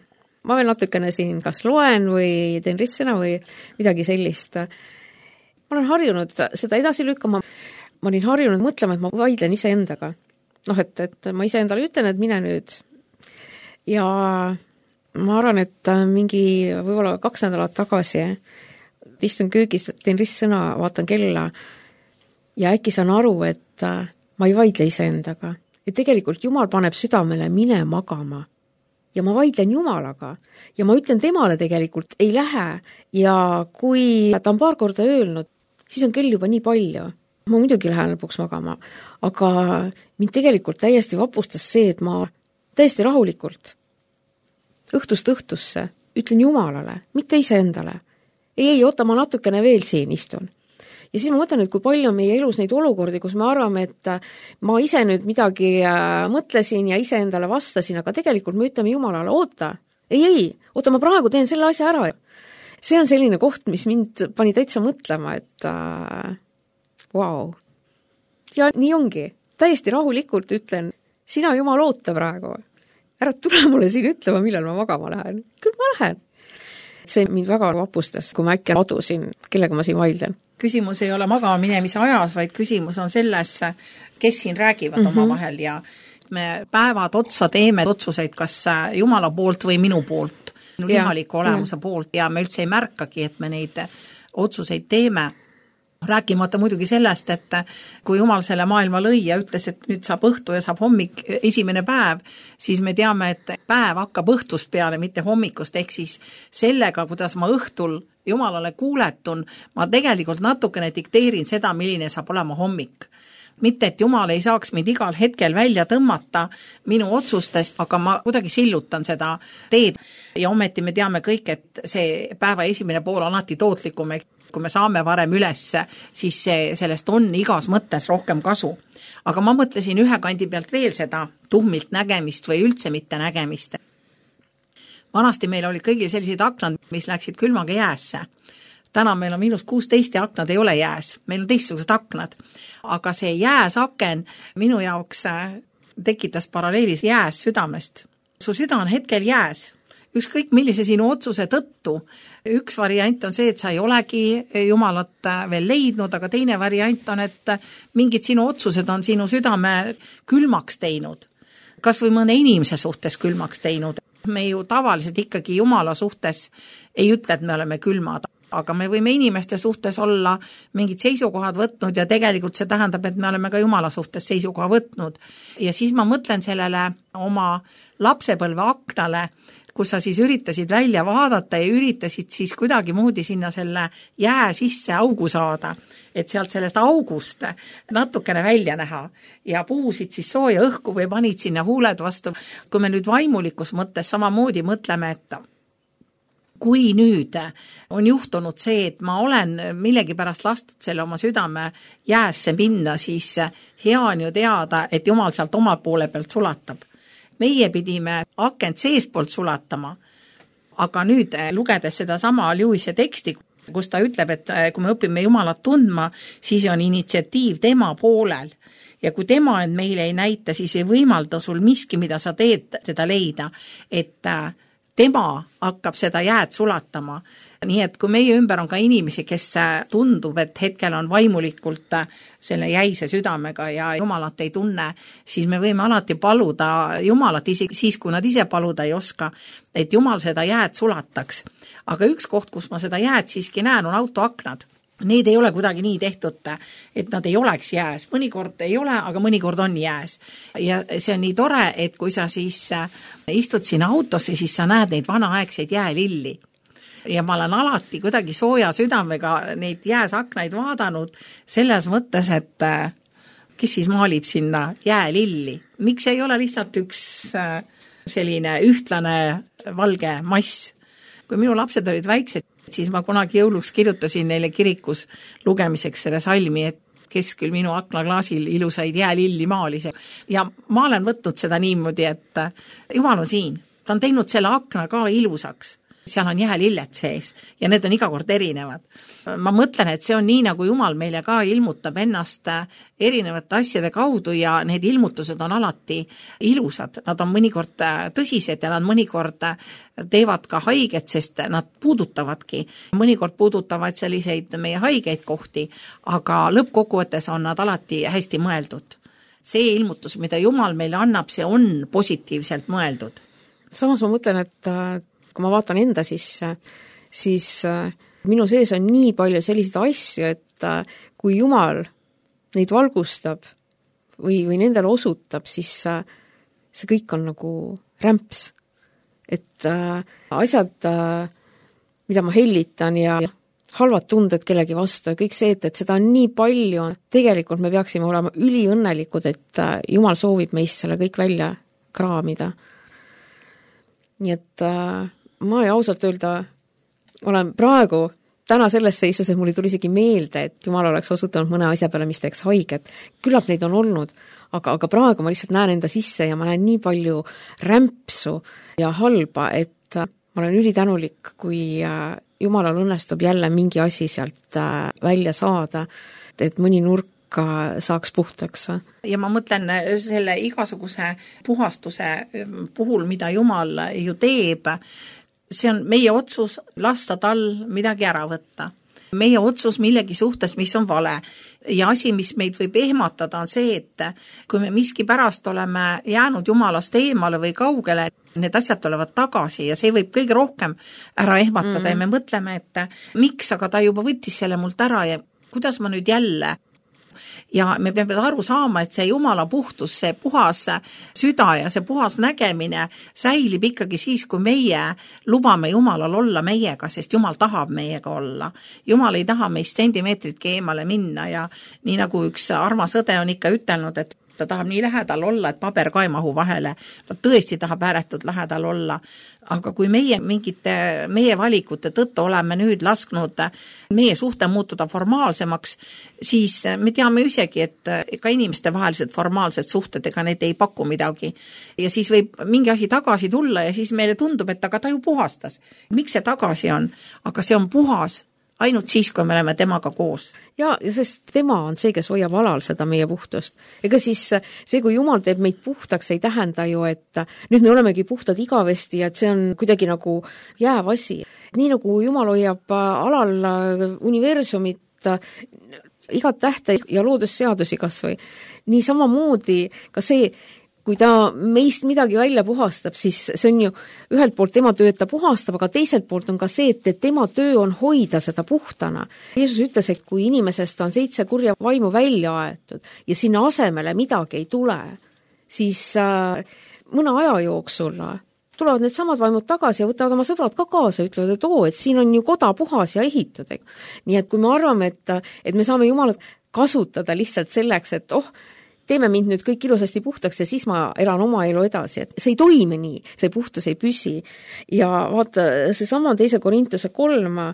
Ma veel natukene siin kas loen või teen ristsõna või midagi sellist. Ma olen harjunud seda edasi lükkama. Ma olin harjunud mõtlema, et ma vaidlen iseendaga. Et ma iseendale ütlen, et mine nüüd. Ja ma arvan, et mingi võib-olla 2 nädalat tagasi istun köögis, teen ristsõna, vaatan kella ja äkki saan aru, et ma ei vaidle iseendaga. Et tegelikult Jumal paneb südamele mine magama. Ja ma vaidlen Jumalaga. Ja ma ütlen temale tegelikult ei lähe. Ja kui ta on paar korda öelnud, siis on kell juba nii palju. Ma muidugi lähen lõpuks magama. Aga mind tegelikult täiesti vapustas see, et ma täiesti rahulikult õhtust õhtusse ütlen Jumalale, mitte iseendale. Ei, oota, ma natukene veel siin istun. Ja siis ma mõtlen, et kui palju on meie elus neid olukordi, kus me arvame, et ma ise nüüd midagi mõtlesin ja ise endale vastasin, aga tegelikult me ütleme Jumalale, oota, oota, ma praegu teen selle asja ära. See on selline koht, mis mind pani täitsa mõtlema, et wow. Ja nii ongi. Täiesti rahulikult ütlen, sina Jumal oota praegu. Ära tule mulle siin ütlema, millal ma magama lähen. Küll ma lähen. See mind väga vapustas, kui ma äkki adusin, kellega ma siin vaidlen. Küsimus ei ole magama minemise ajas, vaid küsimus on selles, kes siin räägivad omavahel ja me päevad otsa teeme otsuseid, kas Jumala poolt või minu poolt, minu lihaliku olemuse poolt ja me üldse ei märkagi, et me neid otsuseid teeme. Rääkimata muidugi sellest, et kui Jumal selle maailma lõi ja ütles, et nüüd saab õhtu ja saab hommik esimene päev, siis me teame, et päev hakkab õhtust peale, mitte hommikust, ehk siis sellega, kuidas ma õhtul Jumalale kuuletun, ma tegelikult natukene dikteerin seda, milline saab olema hommik. Mitte, et Jumal ei saaks mind igal hetkel välja tõmmata minu otsustest, aga ma kuidagi sillutan seda teed. Ja ometi me teame kõik, et see päeva esimene pool on alati tootlikum. Kui me saame varem üles, siis sellest on igas mõttes rohkem kasu. Aga ma mõtlesin ühe kandi pealt veel seda tuhmilt nägemist või üldse mitte nägemist. vanasti meil olid kõigil sellised aknad, mis läksid külmaga jäässe. Täna meil on -16 ja aknad ei ole jääs, meil on teistsugused aknad. Aga see jääs aken minu jaoks tekitas paralleelis jääs südamest. Su süda on hetkel jääs. Ükskõik millise sinu otsuse tõttu. Üks variant on see, et sa ei olegi Jumalat veel leidnud, aga teine variant on, et mingid sinu otsused on sinu südame külmaks teinud. Kas või mõne inimese suhtes külmaks teinud. Me ju tavaliselt ikkagi Jumala suhtes ei ütle, et me oleme külmad, aga me võime inimeste suhtes olla mingid seisukohad võtnud ja tegelikult see tähendab, et me oleme ka Jumala suhtes seisukoha võtnud. Ja siis ma mõtlen sellele oma lapsepõlve aknale, kus sa siis üritasid välja vaadata ja üritasid siis kuidagi moodi sinna selle jää sisse augu saada, et sealt sellest august natukene välja näha ja puhusid siis sooja õhku või panid sinna huuled vastu. Kui me nüüd vaimulikus mõttes samamoodi mõtleme, et kui nüüd on juhtunud see, et ma olen millegipärast lastud selle oma südame jäässe minna, siis hea on ju teada, et Jumal sealt oma poole pealt sulatab. Meie pidime akent seestpoolt sulatama, aga nüüd lugedes seda sama Lewise teksti, kus ta ütleb, et kui me õpime Jumalat tundma, siis on initsiatiiv tema poolel. Ja kui tema end meile ei näita, siis ei võimalda sul miski, mida sa teed, teda leida, et tema hakkab seda jääd sulatama. Nii et kui meie ümber on ka inimesi, kes tundub, et hetkel on vaimulikult selle jäise südamega ja Jumalat ei tunne, siis me võime alati paluda Jumalat isegi siis, kui nad ise paluda ei oska, et Jumal seda jääd sulataks. Aga üks koht, kus ma seda jääd siiski näen, on autoaknad. Need ei ole kuidagi nii tehtud, et nad ei oleks jääs. Mõnikord ei ole, aga mõnikord on jääs. Ja see on nii tore, et kui sa siis istud sinna autosse, siis sa näed neid vanaaegseid jäälilli. Ja ma olen alati kuidagi sooja südamega neid jääsaknaid vaadanud selles mõttes, et kes siis maalib sinna jäälilli. Miks ei ole lihtsalt üks selline ühtlane valge mass? Kui minu lapsed olid väiksed, siis ma kunagi jõuluks kirjutasin neile kirikus lugemiseks selle salmi, et kes küll minu aknaklaasil ilusaid jäälilli maalis. Ja ma olen võtnud seda niimoodi, et Jumal on siin. Ta on teinud selle akna ka ilusaks. Seal on jäälillet sees ja need on iga kord erinevad. Ma mõtlen, et see on nii, nagu Jumal meile ka ilmutab ennast erinevate asjade kaudu ja need ilmutused on alati ilusad. Nad on mõnikord tõsised ja nad mõnikord teevad ka haiget, sest nad puudutavadki. Mõnikord puudutavad selliseid meie haigeid kohti, aga lõppkokkuvõttes on nad alati hästi mõeldud. See ilmutus, mida Jumal meile annab, see on positiivselt mõeldud. Samas ma mõtlen, et kui ma vaatan enda sisse, siis minu sees on nii palju selliseid asju, et kui Jumal neid valgustab või nendele osutab, siis see kõik on nagu rämps. Et asjad, mida ma hellitan ja halvad tunded kellegi vastu ja kõik see, et seda on nii palju, tegelikult me peaksime olema üliõnnelikud, et Jumal soovib meist selle kõik välja kraamida. Nii et ma ei ausalt öelda olen praegu täna selles seisus, et mul ei tuli isegi meelde, et Jumal oleks osutanud mõne asja peale, mis teeks haiget. Küllap neid on olnud, aga praegu ma lihtsalt näen enda sisse ja ma näen nii palju rämpsu ja halba, et ma olen ülitänulik, kui Jumalal õnnestub jälle mingi asi sealt välja saada, et mõni nurk saaks puhtaks. Ja ma mõtlen selle igasuguse puhastuse puhul, mida Jumal ju teeb, see on meie otsus lasta tal midagi ära võtta. Meie otsus millegi suhtes, mis on vale. Ja asi, mis meid võib ehmatada, on see, et kui me miski pärast oleme jäänud Jumalast eemale või kaugele, need asjad tulevad tagasi ja see võib kõige rohkem ära ehmatada ja me mõtleme, et miks, aga ta juba võttis selle mult ära ja kuidas ma nüüd jälle. Ja me peame aru saama, et see Jumala puhtus, see puhas süda ja see puhas nägemine säilib ikkagi siis, kui meie lubame Jumalal olla meiega, sest Jumal tahab meiega olla. Jumal ei taha meist sentimeetritki eemale minna ja nii nagu üks armas õde on ikka ütelnud, et ta tahab nii lähedal olla, et paber ka ei mahu vahele, ta tõesti tahab ääretult lähedal olla, aga kui meie valikute tõttu oleme nüüd lasknud meie suhte muutuda formaalsemaks, siis me teame isegi, et ka inimeste vahelised formaalsed suhted, ega need ei paku midagi. Ja siis võib mingi asi tagasi tulla ja siis meile tundub, et aga ta ju puhastas. Miks see tagasi on? Aga see on puhas ainult siis, kui me oleme temaga koos. Ja sest tema on see, kes hoiab alal seda meie puhtust. Ega siis see, kui Jumal teeb meid puhtaks, ei tähenda ju, et nüüd me olemegi puhtad igavesti ja et see on kuidagi nagu jääv asi. Nii nagu Jumal hoiab alal universumit, igat tähte ja loodusseadusi kas või. Nii samamoodi ka see, kui ta meist midagi välja puhastab, siis see on ju ühelt poolt tema töö, et ta puhastab, aga teiselt poolt on ka see, et tema töö on hoida seda puhtana. Jeesus ütles, et kui inimesest on 7 kurja vaimu välja aetud ja sinna asemele midagi ei tule, siis mõne aja jooksul tulevad need samad vaimud tagasi ja võtavad oma sõbrad ka kaasa ja ütlevad, et siin on ju koda puhas ja ehitud. Nii et kui me arvame, et me saame Jumalat kasutada lihtsalt selleks, et teeme mind nüüd kõik ilusasti puhtaks ja siis ma elan oma elu edasi, et see ei toimi nii, see puhtus ei püsi. Ja vaata, see sama 2 Korintuse 3,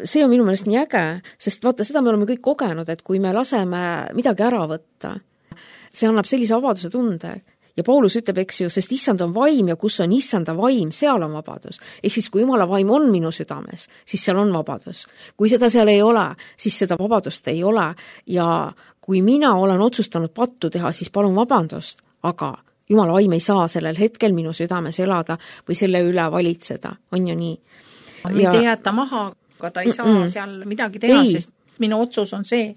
see on minu meelest nii äge, sest vaata, seda me oleme kõik kogenud, et kui me laseme midagi ära võtta, see annab sellise vabaduse tunde. Ja Paulus ütleb, eks ju, sest issand on vaim ja kus on issanda vaim, seal on vabadus. Ehk siis, kui Jumala vaim on minu südames, siis seal on vabadus. Kui seda seal ei ole, siis seda vabadust ei ole. Ja kui mina olen otsustanud pattu teha, siis palun vabandust, aga Jumala vaim ei saa sellel hetkel minu südames elada või selle üle valitseda. On ju nii? Mind ei jäeta maha, aga ta ei saa seal midagi teha, sest minu otsus on see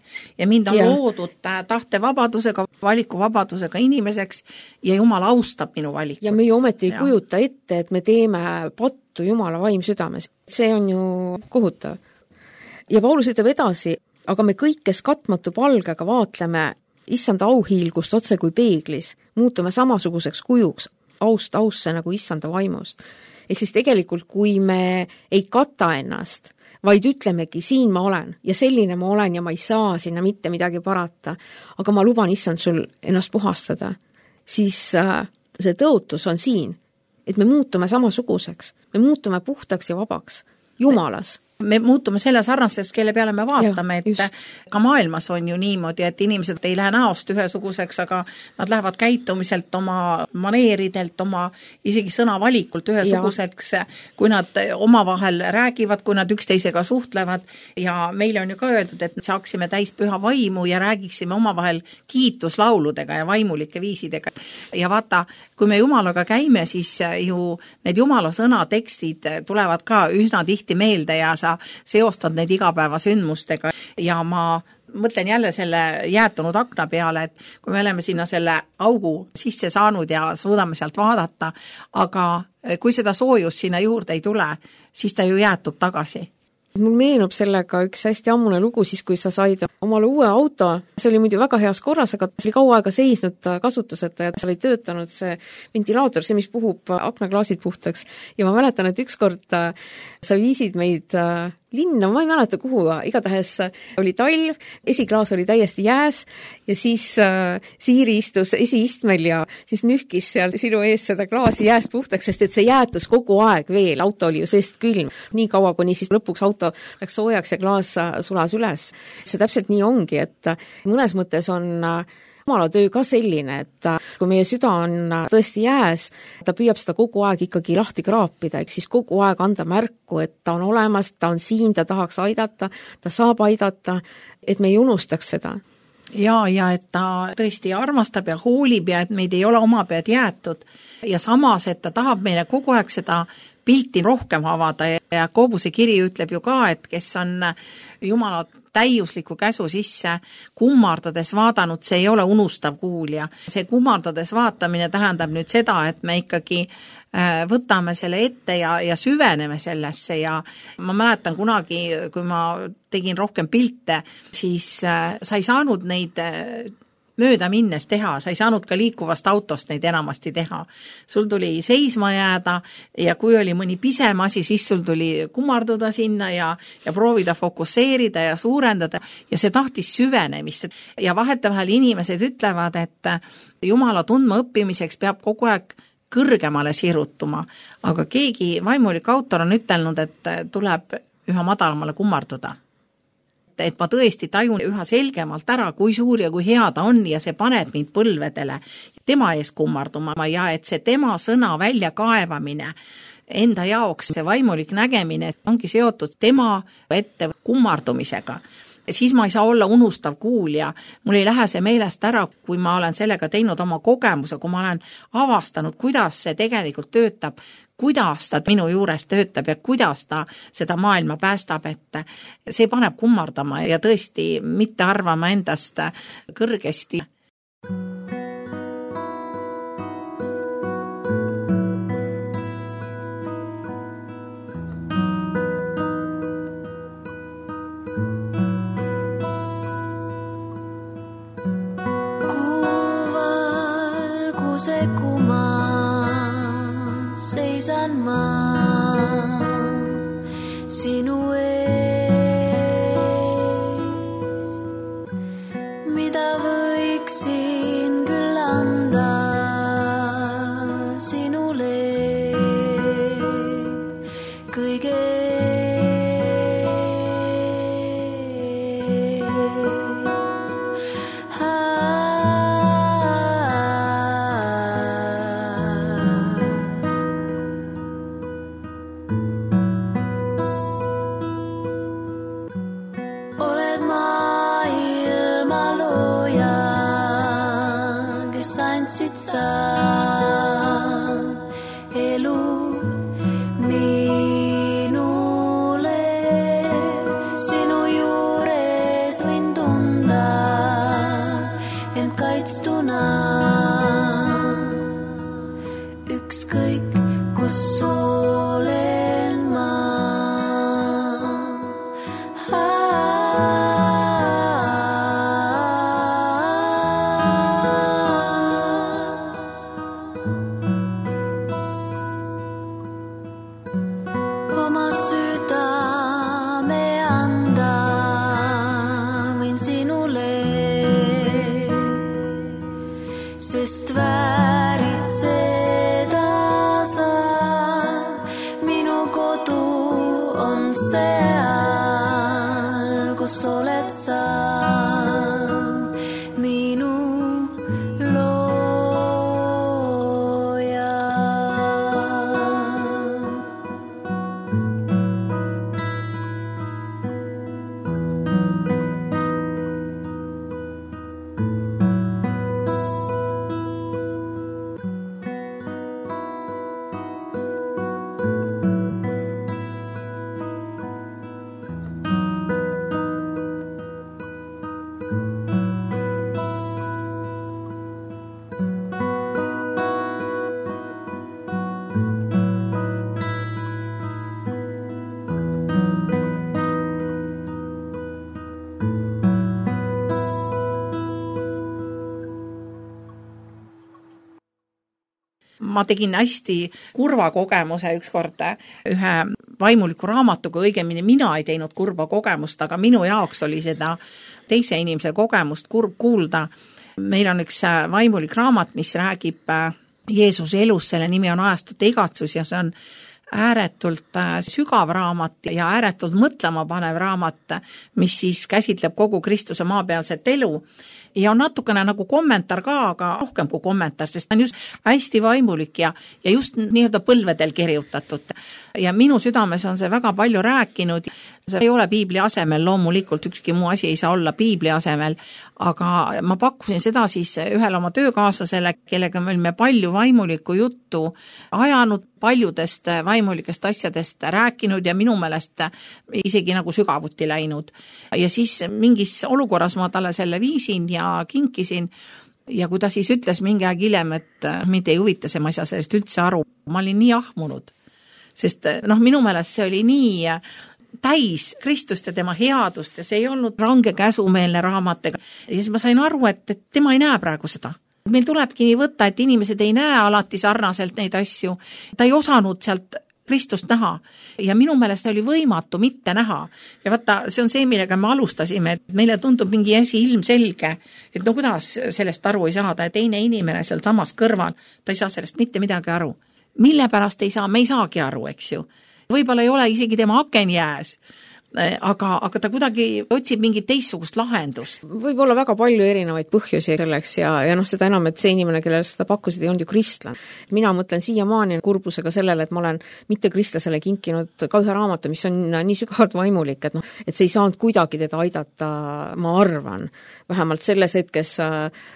ja mind on loodud tahtevabadusega, valikuvabadusega inimeseks ja Jumal austab minu valikut. Ja me ju ometi ei kujuta ette, et me teeme pattu Jumala vaim südames. See on ju kohutav. Ja Paulus ütleb edasi, aga me kõik, kes katmatu palgega vaatleme issanda auhiilgust otse kui peeglis, muutume samasuguseks kujuks, ausse nagu issanda vaimust. Ehk siis tegelikult, kui me ei kata ennast, vaid ütlemegi, siin ma olen ja selline ma olen ja ma ei saa sinna mitte midagi parata, aga ma luban issand sul ennast puhastada, siis see tõotus on siin, et me muutume samasuguseks, me muutume puhtaks ja vabaks Jumalas. Me muutume selle sarnasest, kelle peale me vaatame, et ka maailmas on ju niimoodi, et inimesed ei lähe näost ühesuguseks, aga nad lähevad käitumiselt oma maneeridelt, oma isegi sõnavalikult ühesuguseks, kui nad omavahel räägivad, kui nad üksteisega suhtlevad ja meile on ju ka öeldud, et saaksime täis püha vaimu ja räägiksime omavahel kiituslauludega ja vaimulike viisidega. Ja vaata, kui me Jumalaga käime, siis ju need Jumala sõnatekstid tulevad ka üsna tihti meelde ja sa seostad neid igapäevasündmustega ja ma mõtlen jälle selle jäätunud akna peale, et kui me oleme sinna selle augu sisse saanud ja suudame sealt vaadata, aga kui seda soojust sinna juurde ei tule, siis ta ju jäätub tagasi. Mul meenub sellega üks hästi ammune lugu siis, kui sa said omale uue auto. See oli muidu väga heas korras, aga see oli kaua aega seisnud kasutuseta ja seal ei töötanud see ventilaator, see, mis puhub aknaklaasid puhtaks. Ja ma mäletan, et ükskord sa viisid meid linna, ma ei mäleta kuhu, igatahes oli talv, esiklaas oli täiesti jääs ja siis Siiri istus esiistmel ja siis nühkis seal sinu ees seda klaasi jääst puhtaks, sest et see jäätus kogu aeg veel, auto oli ju seest külm. Nii kaua, kuni siis lõpuks auto läks soojaks ja klaas sulas üles. See täpselt nii ongi, et mõnes mõttes on Jumala töö ka selline, et kui meie süda on tõesti jääs, ta püüab seda kogu aeg ikkagi lahti kraapida, ehk siis kogu aeg anda märku, et ta on olemas, ta on siin, ta tahaks aidata, ta saab aidata, et me ei unustaks seda. Ja et ta tõesti armastab ja hoolib ja et meid ei ole oma pead jäetud ja samas, et ta tahab meile kogu aeg seda pilti rohkem avada ja Koobuse kiri ütleb ju ka, et kes on Jumala täiusliku käsu sisse kummardades vaadanud, see ei ole unustav kuulja. See kummardades vaatamine tähendab nüüd seda, et me ikkagi võtame selle ette ja süveneme sellesse ja ma mäletan kunagi, kui ma tegin rohkem pilte, siis sa ei saanud neid mööda minnes teha, sa ei saanud ka liikuvast autost neid enamasti teha. Sul tuli seisma jääda ja kui oli mõni pisem asi, siis sul tuli kummarduda sinna ja proovida fokusseerida ja suurendada ja see tahtis süvenemist. Ja vahetevahel inimesed ütlevad, et Jumala tundma õppimiseks peab kogu aeg kõrgemale sirutuma, aga keegi vaimulik autor on ütelnud, et tuleb üha madalamale kummarduda. Et ma tõesti tajun üha selgemalt ära, kui suur ja kui hea ta on ja see paneb mind põlvedele tema ees kummarduma ja et see tema sõna välja kaevamine enda jaoks, see vaimulik nägemine ongi seotud tema ette kummardumisega. Siis ma ei saa olla unustav kuulja, mul ei lähe see meelest ära, kui ma olen sellega teinud oma kogemuse, kui ma olen avastanud, kuidas see tegelikult töötab, kuidas ta minu juures töötab ja kuidas ta seda maailma päästab, et see paneb kummardama ja tõesti mitte arvama endast kõrgesti. Seisan ma sinu ees, mida võiksin küll anda sinule kõige elu minule, sinu juures võin tunda end kaitstuna, ükskõik kus olen ma. Sest väärid seda sa, minu kodu on seal, kus oled sa, minu looja. Ma tegin hästi kurva kogemuse ükskord ühe vaimuliku raamatuga, õigemini mina ei teinud kurva kogemust, aga minu jaoks oli seda teise inimese kogemust kurb kuulda. Meil on üks vaimulik raamat, mis räägib Jeesuse elus, selle nimi on Ajastute igatsus ja see on ääretult sügav raamat ja ääretult mõtlema panev raamat, mis siis käsitleb kogu Kristuse maapealset elu. Ja on natukene nagu kommentaar ka, aga rohkem kui kommentaar, sest ta on just hästi vaimulik ja just nii-öelda põlvedel kirjutatud. Ja minu südames on see väga palju rääkinud. See ei ole piibli asemel, loomulikult ükski muu asi ei saa olla piibli asemel, aga ma pakkusin seda siis ühele oma töökaaslasele, kellega me olime palju vaimulikku juttu ajanud, paljudest vaimulikest asjadest rääkinud ja minu meelest isegi nagu sügavuti läinud. Ja siis mingis olukorras ma talle selle viisin ja kinkisin ja kui ta siis ütles mingi aeg hiljem, et mind ei huvita see, ma ei saa sellest üldse aru. Ma olin nii ahmunud, sest minu meelest see oli nii täis Kristust ja tema headust ja see ei olnud range käsumeelne raamat. Ja siis ma sain aru, et tema ei näe praegu seda. Meil tulebki nii võtta, et inimesed ei näe alati sarnaselt neid asju. Ta ei osanud sealt Kristust näha ja minu meelest oli võimatu mitte näha. Ja vaata, see on see, millega me alustasime, et meile tundub mingi asi ilmselge, et no kuidas sellest aru ei saada ja teine inimene seal samas kõrval, ta ei saa sellest mitte midagi aru. Mille pärast ei saa, me ei saagi aru, eks ju. Võib-olla ei ole isegi tema aken jääs, aga ta kuidagi otsib mingit teistsugust lahendust. Võib olla väga palju erinevaid põhjusi selleks ja seda enam, et see inimene, kellele seda pakkusid, ei olnud ju kristlane. Mina mõtlen siiamaani kurbusega sellele, et ma olen mitte kristlasele kinkinud ka ühe raamatu, mis on nii sügavalt vaimulik, et see ei saanud kuidagi teda aidata, ma arvan, vähemalt selles hetkes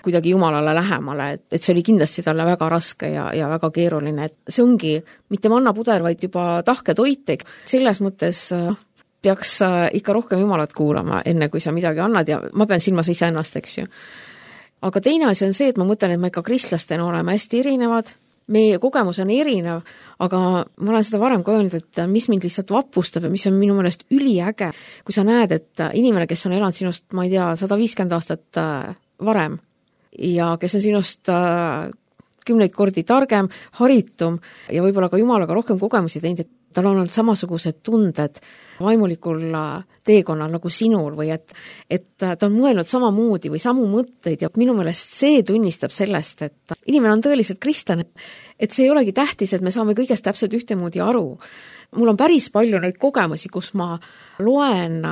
kuidagi Jumalale lähemale, et see oli kindlasti talle väga raske ja väga keeruline. Et see ongi mitte mannapuder, vaid juba tahke toit. Selles mõttes peaks ikka rohkem Jumalat kuulama, enne kui sa midagi annad ja ma pean silmas iseennast, eks ju. Aga teine asi on see, et ma mõtlen, et me ikka kristlastena oleme hästi erinevad, meie kogemus on erinev, aga ma olen seda varem ka öelnud, et mis mind lihtsalt vapustab ja mis on minu meelest üliäge, kui sa näed, et inimene, kes on elanud sinust, ma ei tea, 150 aastat varem ja kes on sinust 10 kordi targem, haritum ja võib-olla ka Jumalaga rohkem kogemusi teinud, et tal on olnud samasugused tunded vaimulikul teekonnal nagu sinul või et ta on mõelnud samamoodi või samu mõtteid ja minu meelest see tunnistab sellest, et inimene on tõeliselt kristlane, et see ei olegi tähtis, et me saame kõigest täpselt ühtemoodi aru. Mul on päris palju neid kogemusi, kus ma loen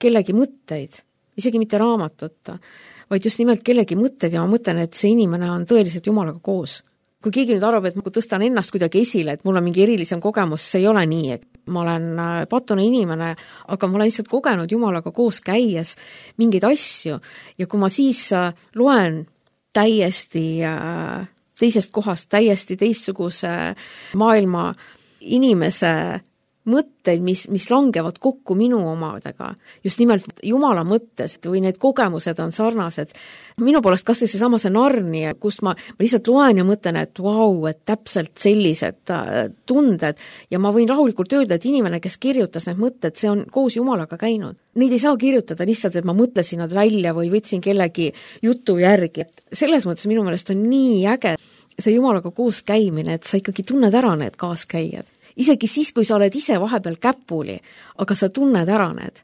kellegi mõtteid, isegi mitte raamatut, vaid just nimelt kellegi mõtteid ja ma mõtlen, et see inimene on tõeliselt Jumalaga koos. Kui keegi nüüd arvab, et ma tõstan ennast kuidagi esile, et mul on mingi erilisem kogemus, see ei ole nii, et ma olen patune inimene, aga ma olen lihtsalt kogenud Jumalaga koos käies mingeid asju ja kui ma siis loen täiesti teisest kohast, täiesti teistsuguse maailma inimese mõtteid, mis langevad kokku minu omadega, just nimelt Jumala mõttes või need kogemused on sarnased. Minu poolest kas see sama see Narni, kust ma lihtsalt loen ja mõtlen, et vau, et täpselt sellised tunded ja ma võin rahulikult öelda, et inimene, kes kirjutas need mõtted, see on koos Jumalaga käinud. Neid ei saa kirjutada lihtsalt, et ma mõtlesin nad välja või võtsin kellegi jutu järgi. Selles mõttes minu meelest on nii äge see Jumalaga koos käimine, et sa ikkagi tunned ära need kaaskäijad. Isegi siis, kui sa oled ise vahepeal käpuli, aga sa tunned ära need.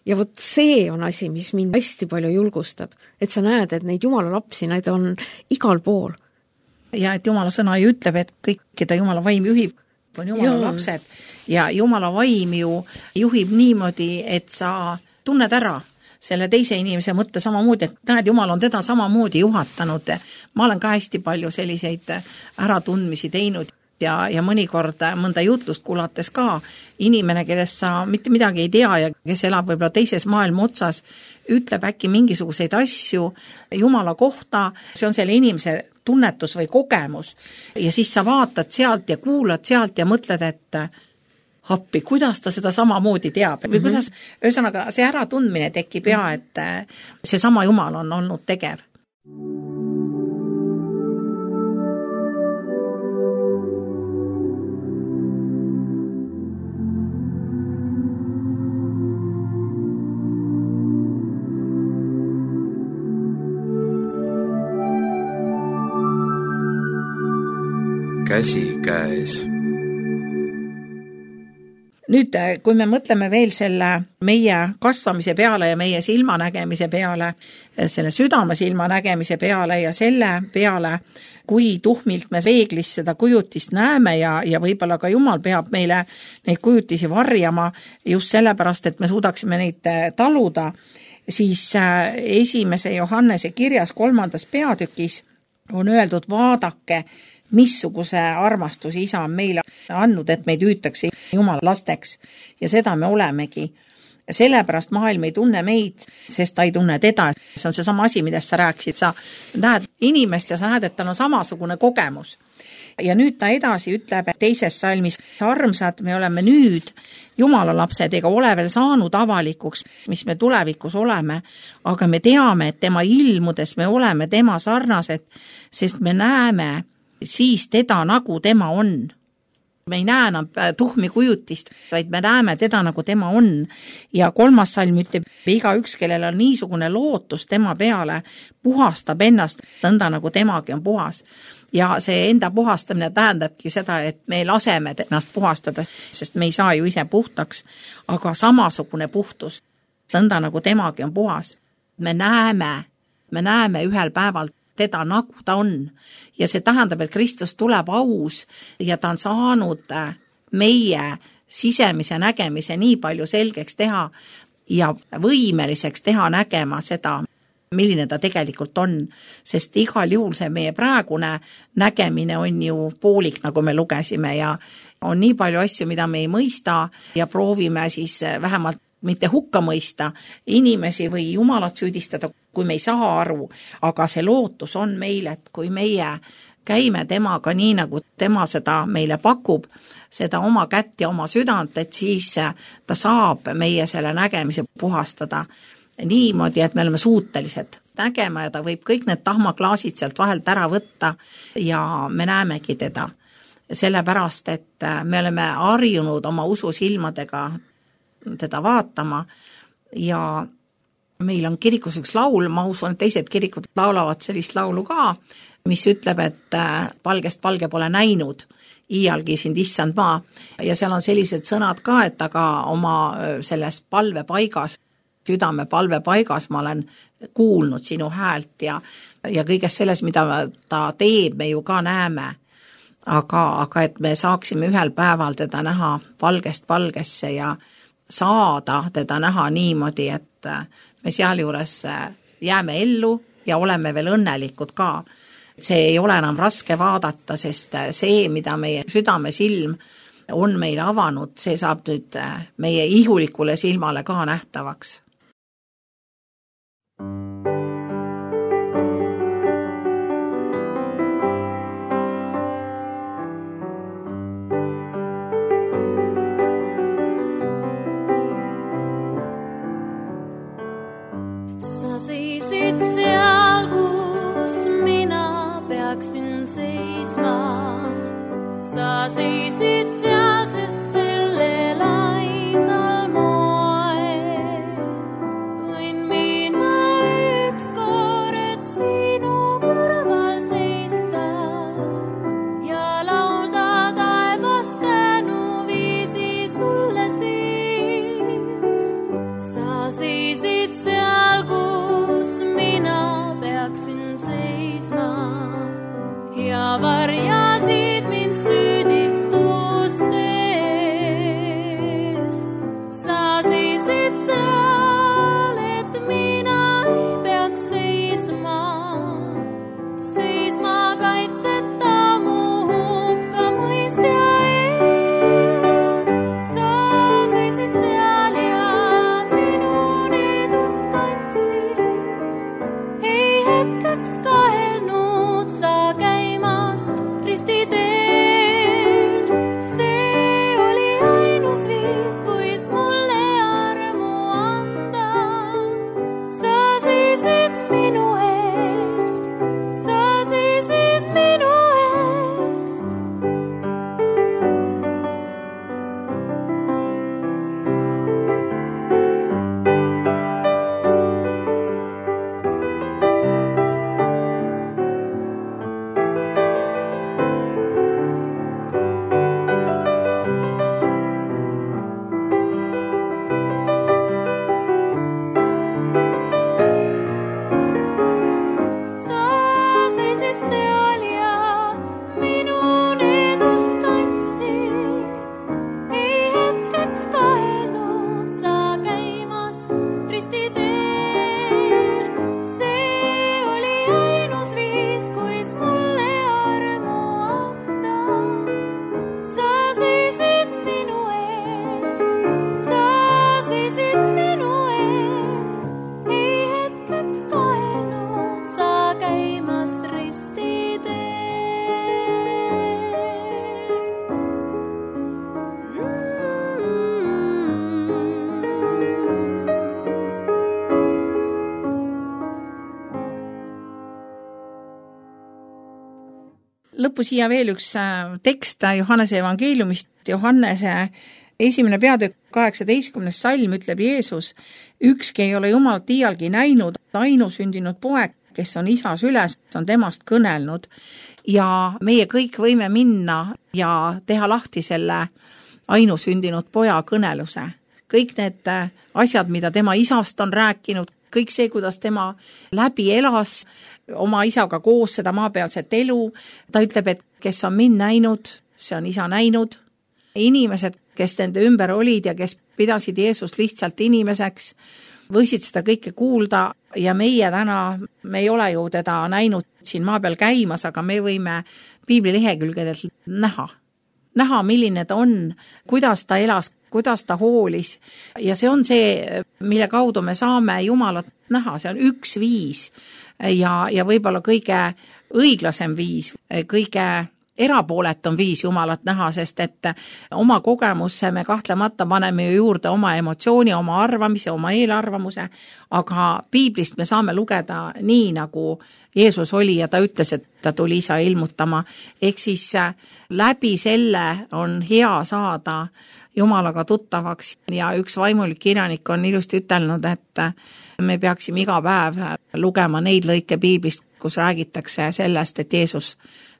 Ja vot see on asi, mis mind hästi palju julgustab, et sa näed, et neid Jumala lapsi, need on igal pool. Ja et Jumala sõna ju ütleb, et kõik, keda Jumala vaim juhib, on Jumala lapsed ja Jumala vaim ju juhib niimoodi, et sa tunned ära selle teise inimese mõtte samamoodi, et näed, Jumal on teda samamoodi juhatanud. Ma olen ka hästi palju selliseid äratundmisi teinud. Ja mõnikord mõnda jutlust kuulates ka inimene, kellest sa mitte midagi ei tea ja kes elab võib-olla teises maailma otsas, ütleb äkki mingisuguseid asju Jumala kohta, see on selle inimese tunnetus või kogemus ja siis sa vaatad sealt ja kuulad sealt ja mõtled, et appi, kuidas ta seda samamoodi teab või kuidas, ühesõnaga see äratundmine tekib ja et see sama Jumal on olnud tegev. Käsikäes. Nüüd, kui me mõtleme veel selle meie kasvamise peale ja meie silmanägemise peale, selle südame silmanägemise peale ja selle peale, kui tuhmilt me peeglis seda kujutist näeme ja võib-olla ka Jumal peab meile neid kujutisi varjama just sellepärast, et me suudaksime neid taluda, siis 1. Johannese kirjas 3. peatükis on öeldud, vaadake, missuguse armastus isa on meile andnud, et meid hüütakse Jumala lasteks ja seda me olemegi. Sellepärast maailm ei tunne meid, sest ta ei tunne teda. See on see sama asi, millest sa rääkisid. Sa näed inimest ja sa näed, et tal on samasugune kogemus. Ja nüüd ta edasi ütleb teises salmis, armsad, me oleme nüüd Jumala lapsed ega ole veel saanud avalikuks, mis me tulevikus oleme, aga me teame, et tema ilmudes me oleme tema sarnased, sest me näeme siis teda, nagu tema on. me ei näe enam tuhmi kujutist, vaid me näeme teda, nagu tema on. Ja 3. salm ütleb, igaüks, kellel on niisugune lootus tema peale, puhastab ennast nõnda, nagu temagi on puhas. Ja see enda puhastamine tähendabki seda, et me laseme ennast puhastada, sest me ei saa ju ise puhtaks, aga samasugune puhtus, nõnda, nagu temagi on puhas. Me näeme ühel päeval teda, nagu ta on. Ja see tähendab, et Kristus tuleb aus ja ta on saanud meie sisemise nägemise nii palju selgeks teha ja võimeliseks teha nägema seda, milline ta tegelikult on. Sest igal juhul see meie praegune nägemine on ju poolik, nagu me lugesime, ja on nii palju asju, mida me ei mõista ja proovime siis vähemalt mitte hukka mõista inimesi või Jumalat süüdistada, kui me ei saa aru, aga see lootus on meil, et kui meie käime temaga nii, nagu tema seda meile pakub, seda oma kätt ja oma südant, et siis ta saab meie selle nägemise puhastada niimoodi, et me oleme suutelised nägema ja ta võib kõik need tahmaklaasid sealt vahelt ära võtta ja me näemegi teda. Sellepärast, et me oleme harjunud oma ususilmadega teda vaatama ja meil on kirikus üks laul, ma usun, et teised kirikud laulavad sellist laulu ka, mis ütleb, et palgest palge pole näinud, iialgi sind issand maa. Ja seal on sellised sõnad ka, et aga oma selles palvepaigas, südame palvepaigas ma olen kuulnud sinu häält ja kõigest selles, mida ta teeb, me ju ka näeme. Aga et me saaksime ühel päeval teda näha palgest palgesse ja saada teda näha niimoodi, et me sealjuures jääme ellu ja oleme veel õnnelikud ka. See ei ole enam raske vaadata, sest see, mida meie südamesilm on meile avanud, see saab nüüd meie ihulikule silmale ka nähtavaks. Sa seisid seal, kus mina peaksin seisma. Sa seisid seal, sest sellel ainsal moel võin mina ükskord sinu kõrval seista ja laulda taevast tänuviisi sulle siis. Sa seisid seal, kus mina peaksin seisma ja varjasid mind süüdistuste lõppu siia veel üks tekst Johannese evangeeliumist, Johannese 1. peatükk 18. salm ütleb Jeesus, ükski ei ole Jumalat iialgi näinud, ainusündinud poeg, kes on isa süles, on temast kõnelnud ja meie kõik võime minna ja teha lahti selle ainusündinud poja kõneluse. Kõik need asjad, mida tema isast on rääkinud, kõik see, kuidas tema läbi elas oma isaga koos seda maapealset elu, ta ütleb, et kes on mind näinud, see on isa näinud. Inimesed, kes nende ümber olid ja kes pidasid Jeesust lihtsalt inimeseks, võisid seda kõike kuulda ja meie täna, me ei ole ju teda näinud siin maa peal käimas, aga me võime piibli lehekülgedelt näha, milline ta on, kuidas ta elas, kuidas ta hoolis ja see on see, mille kaudu me saame Jumalat näha, see on üks viis ja võib-olla kõige õiglasem viis, kõige erapooletum viis Jumalat näha, sest et oma kogemusse me kahtlemata paneme ju juurde oma emotsiooni, oma arvamise, oma eelarvamuse, aga piiblist me saame lugeda nii, nagu Jeesus oli ja ta ütles, et ta tuli isa ilmutama. Ehk siis läbi selle on hea saada Jumalaga tuttavaks ja üks vaimulik kirjanik on ilusti ütelnud, et me peaksime iga päev lugema neid lõike piiblist, kus räägitakse sellest, et Jeesus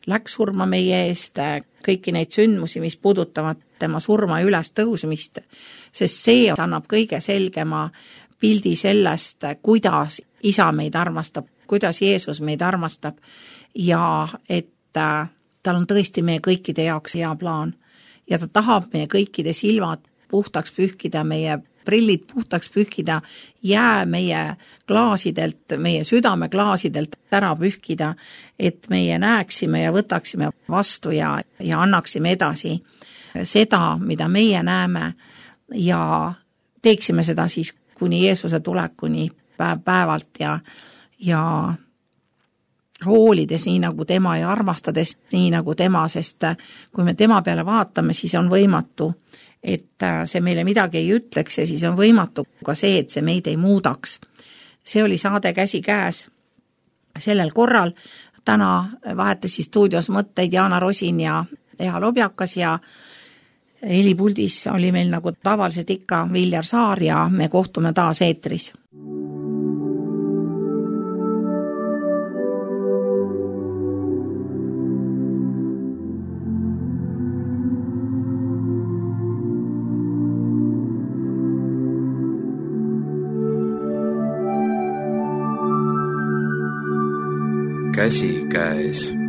läks surma meie eest, kõiki neid sündmusi, mis puudutavad tema surma ja üles tõusmist, sest see annab kõige selgema pildi sellest, kuidas isa meid armastab, kuidas Jeesus meid armastab ja et tal on tõesti meie kõikide jaoks hea plaan ja ta tahab meie kõikide silmad puhtaks pühkida, meie prillid puhtaks pühkida, jää meie klaasidelt, meie südame klaasidelt ära pühkida, et meie näeksime ja võtaksime vastu ja annaksime edasi seda, mida meie näeme ja teeksime seda siis kuni Jeesuse tulekuni päevalt ja hoolides nii nagu tema ja armastades nii nagu tema, sest kui me tema peale vaatame, siis on võimatu, et see meile midagi ei ütleks ja siis on võimatu ka see, et see meid ei muudaks. See oli saade Käsikäes sellel korral. Täna vahetasid stuudios mõtteid Jaana Rosin ja Eha Lobjakas ja helipuldis oli meil nagu tavaliselt ikka Viljar Saar ja me kohtume taas eetris. Käsikäes.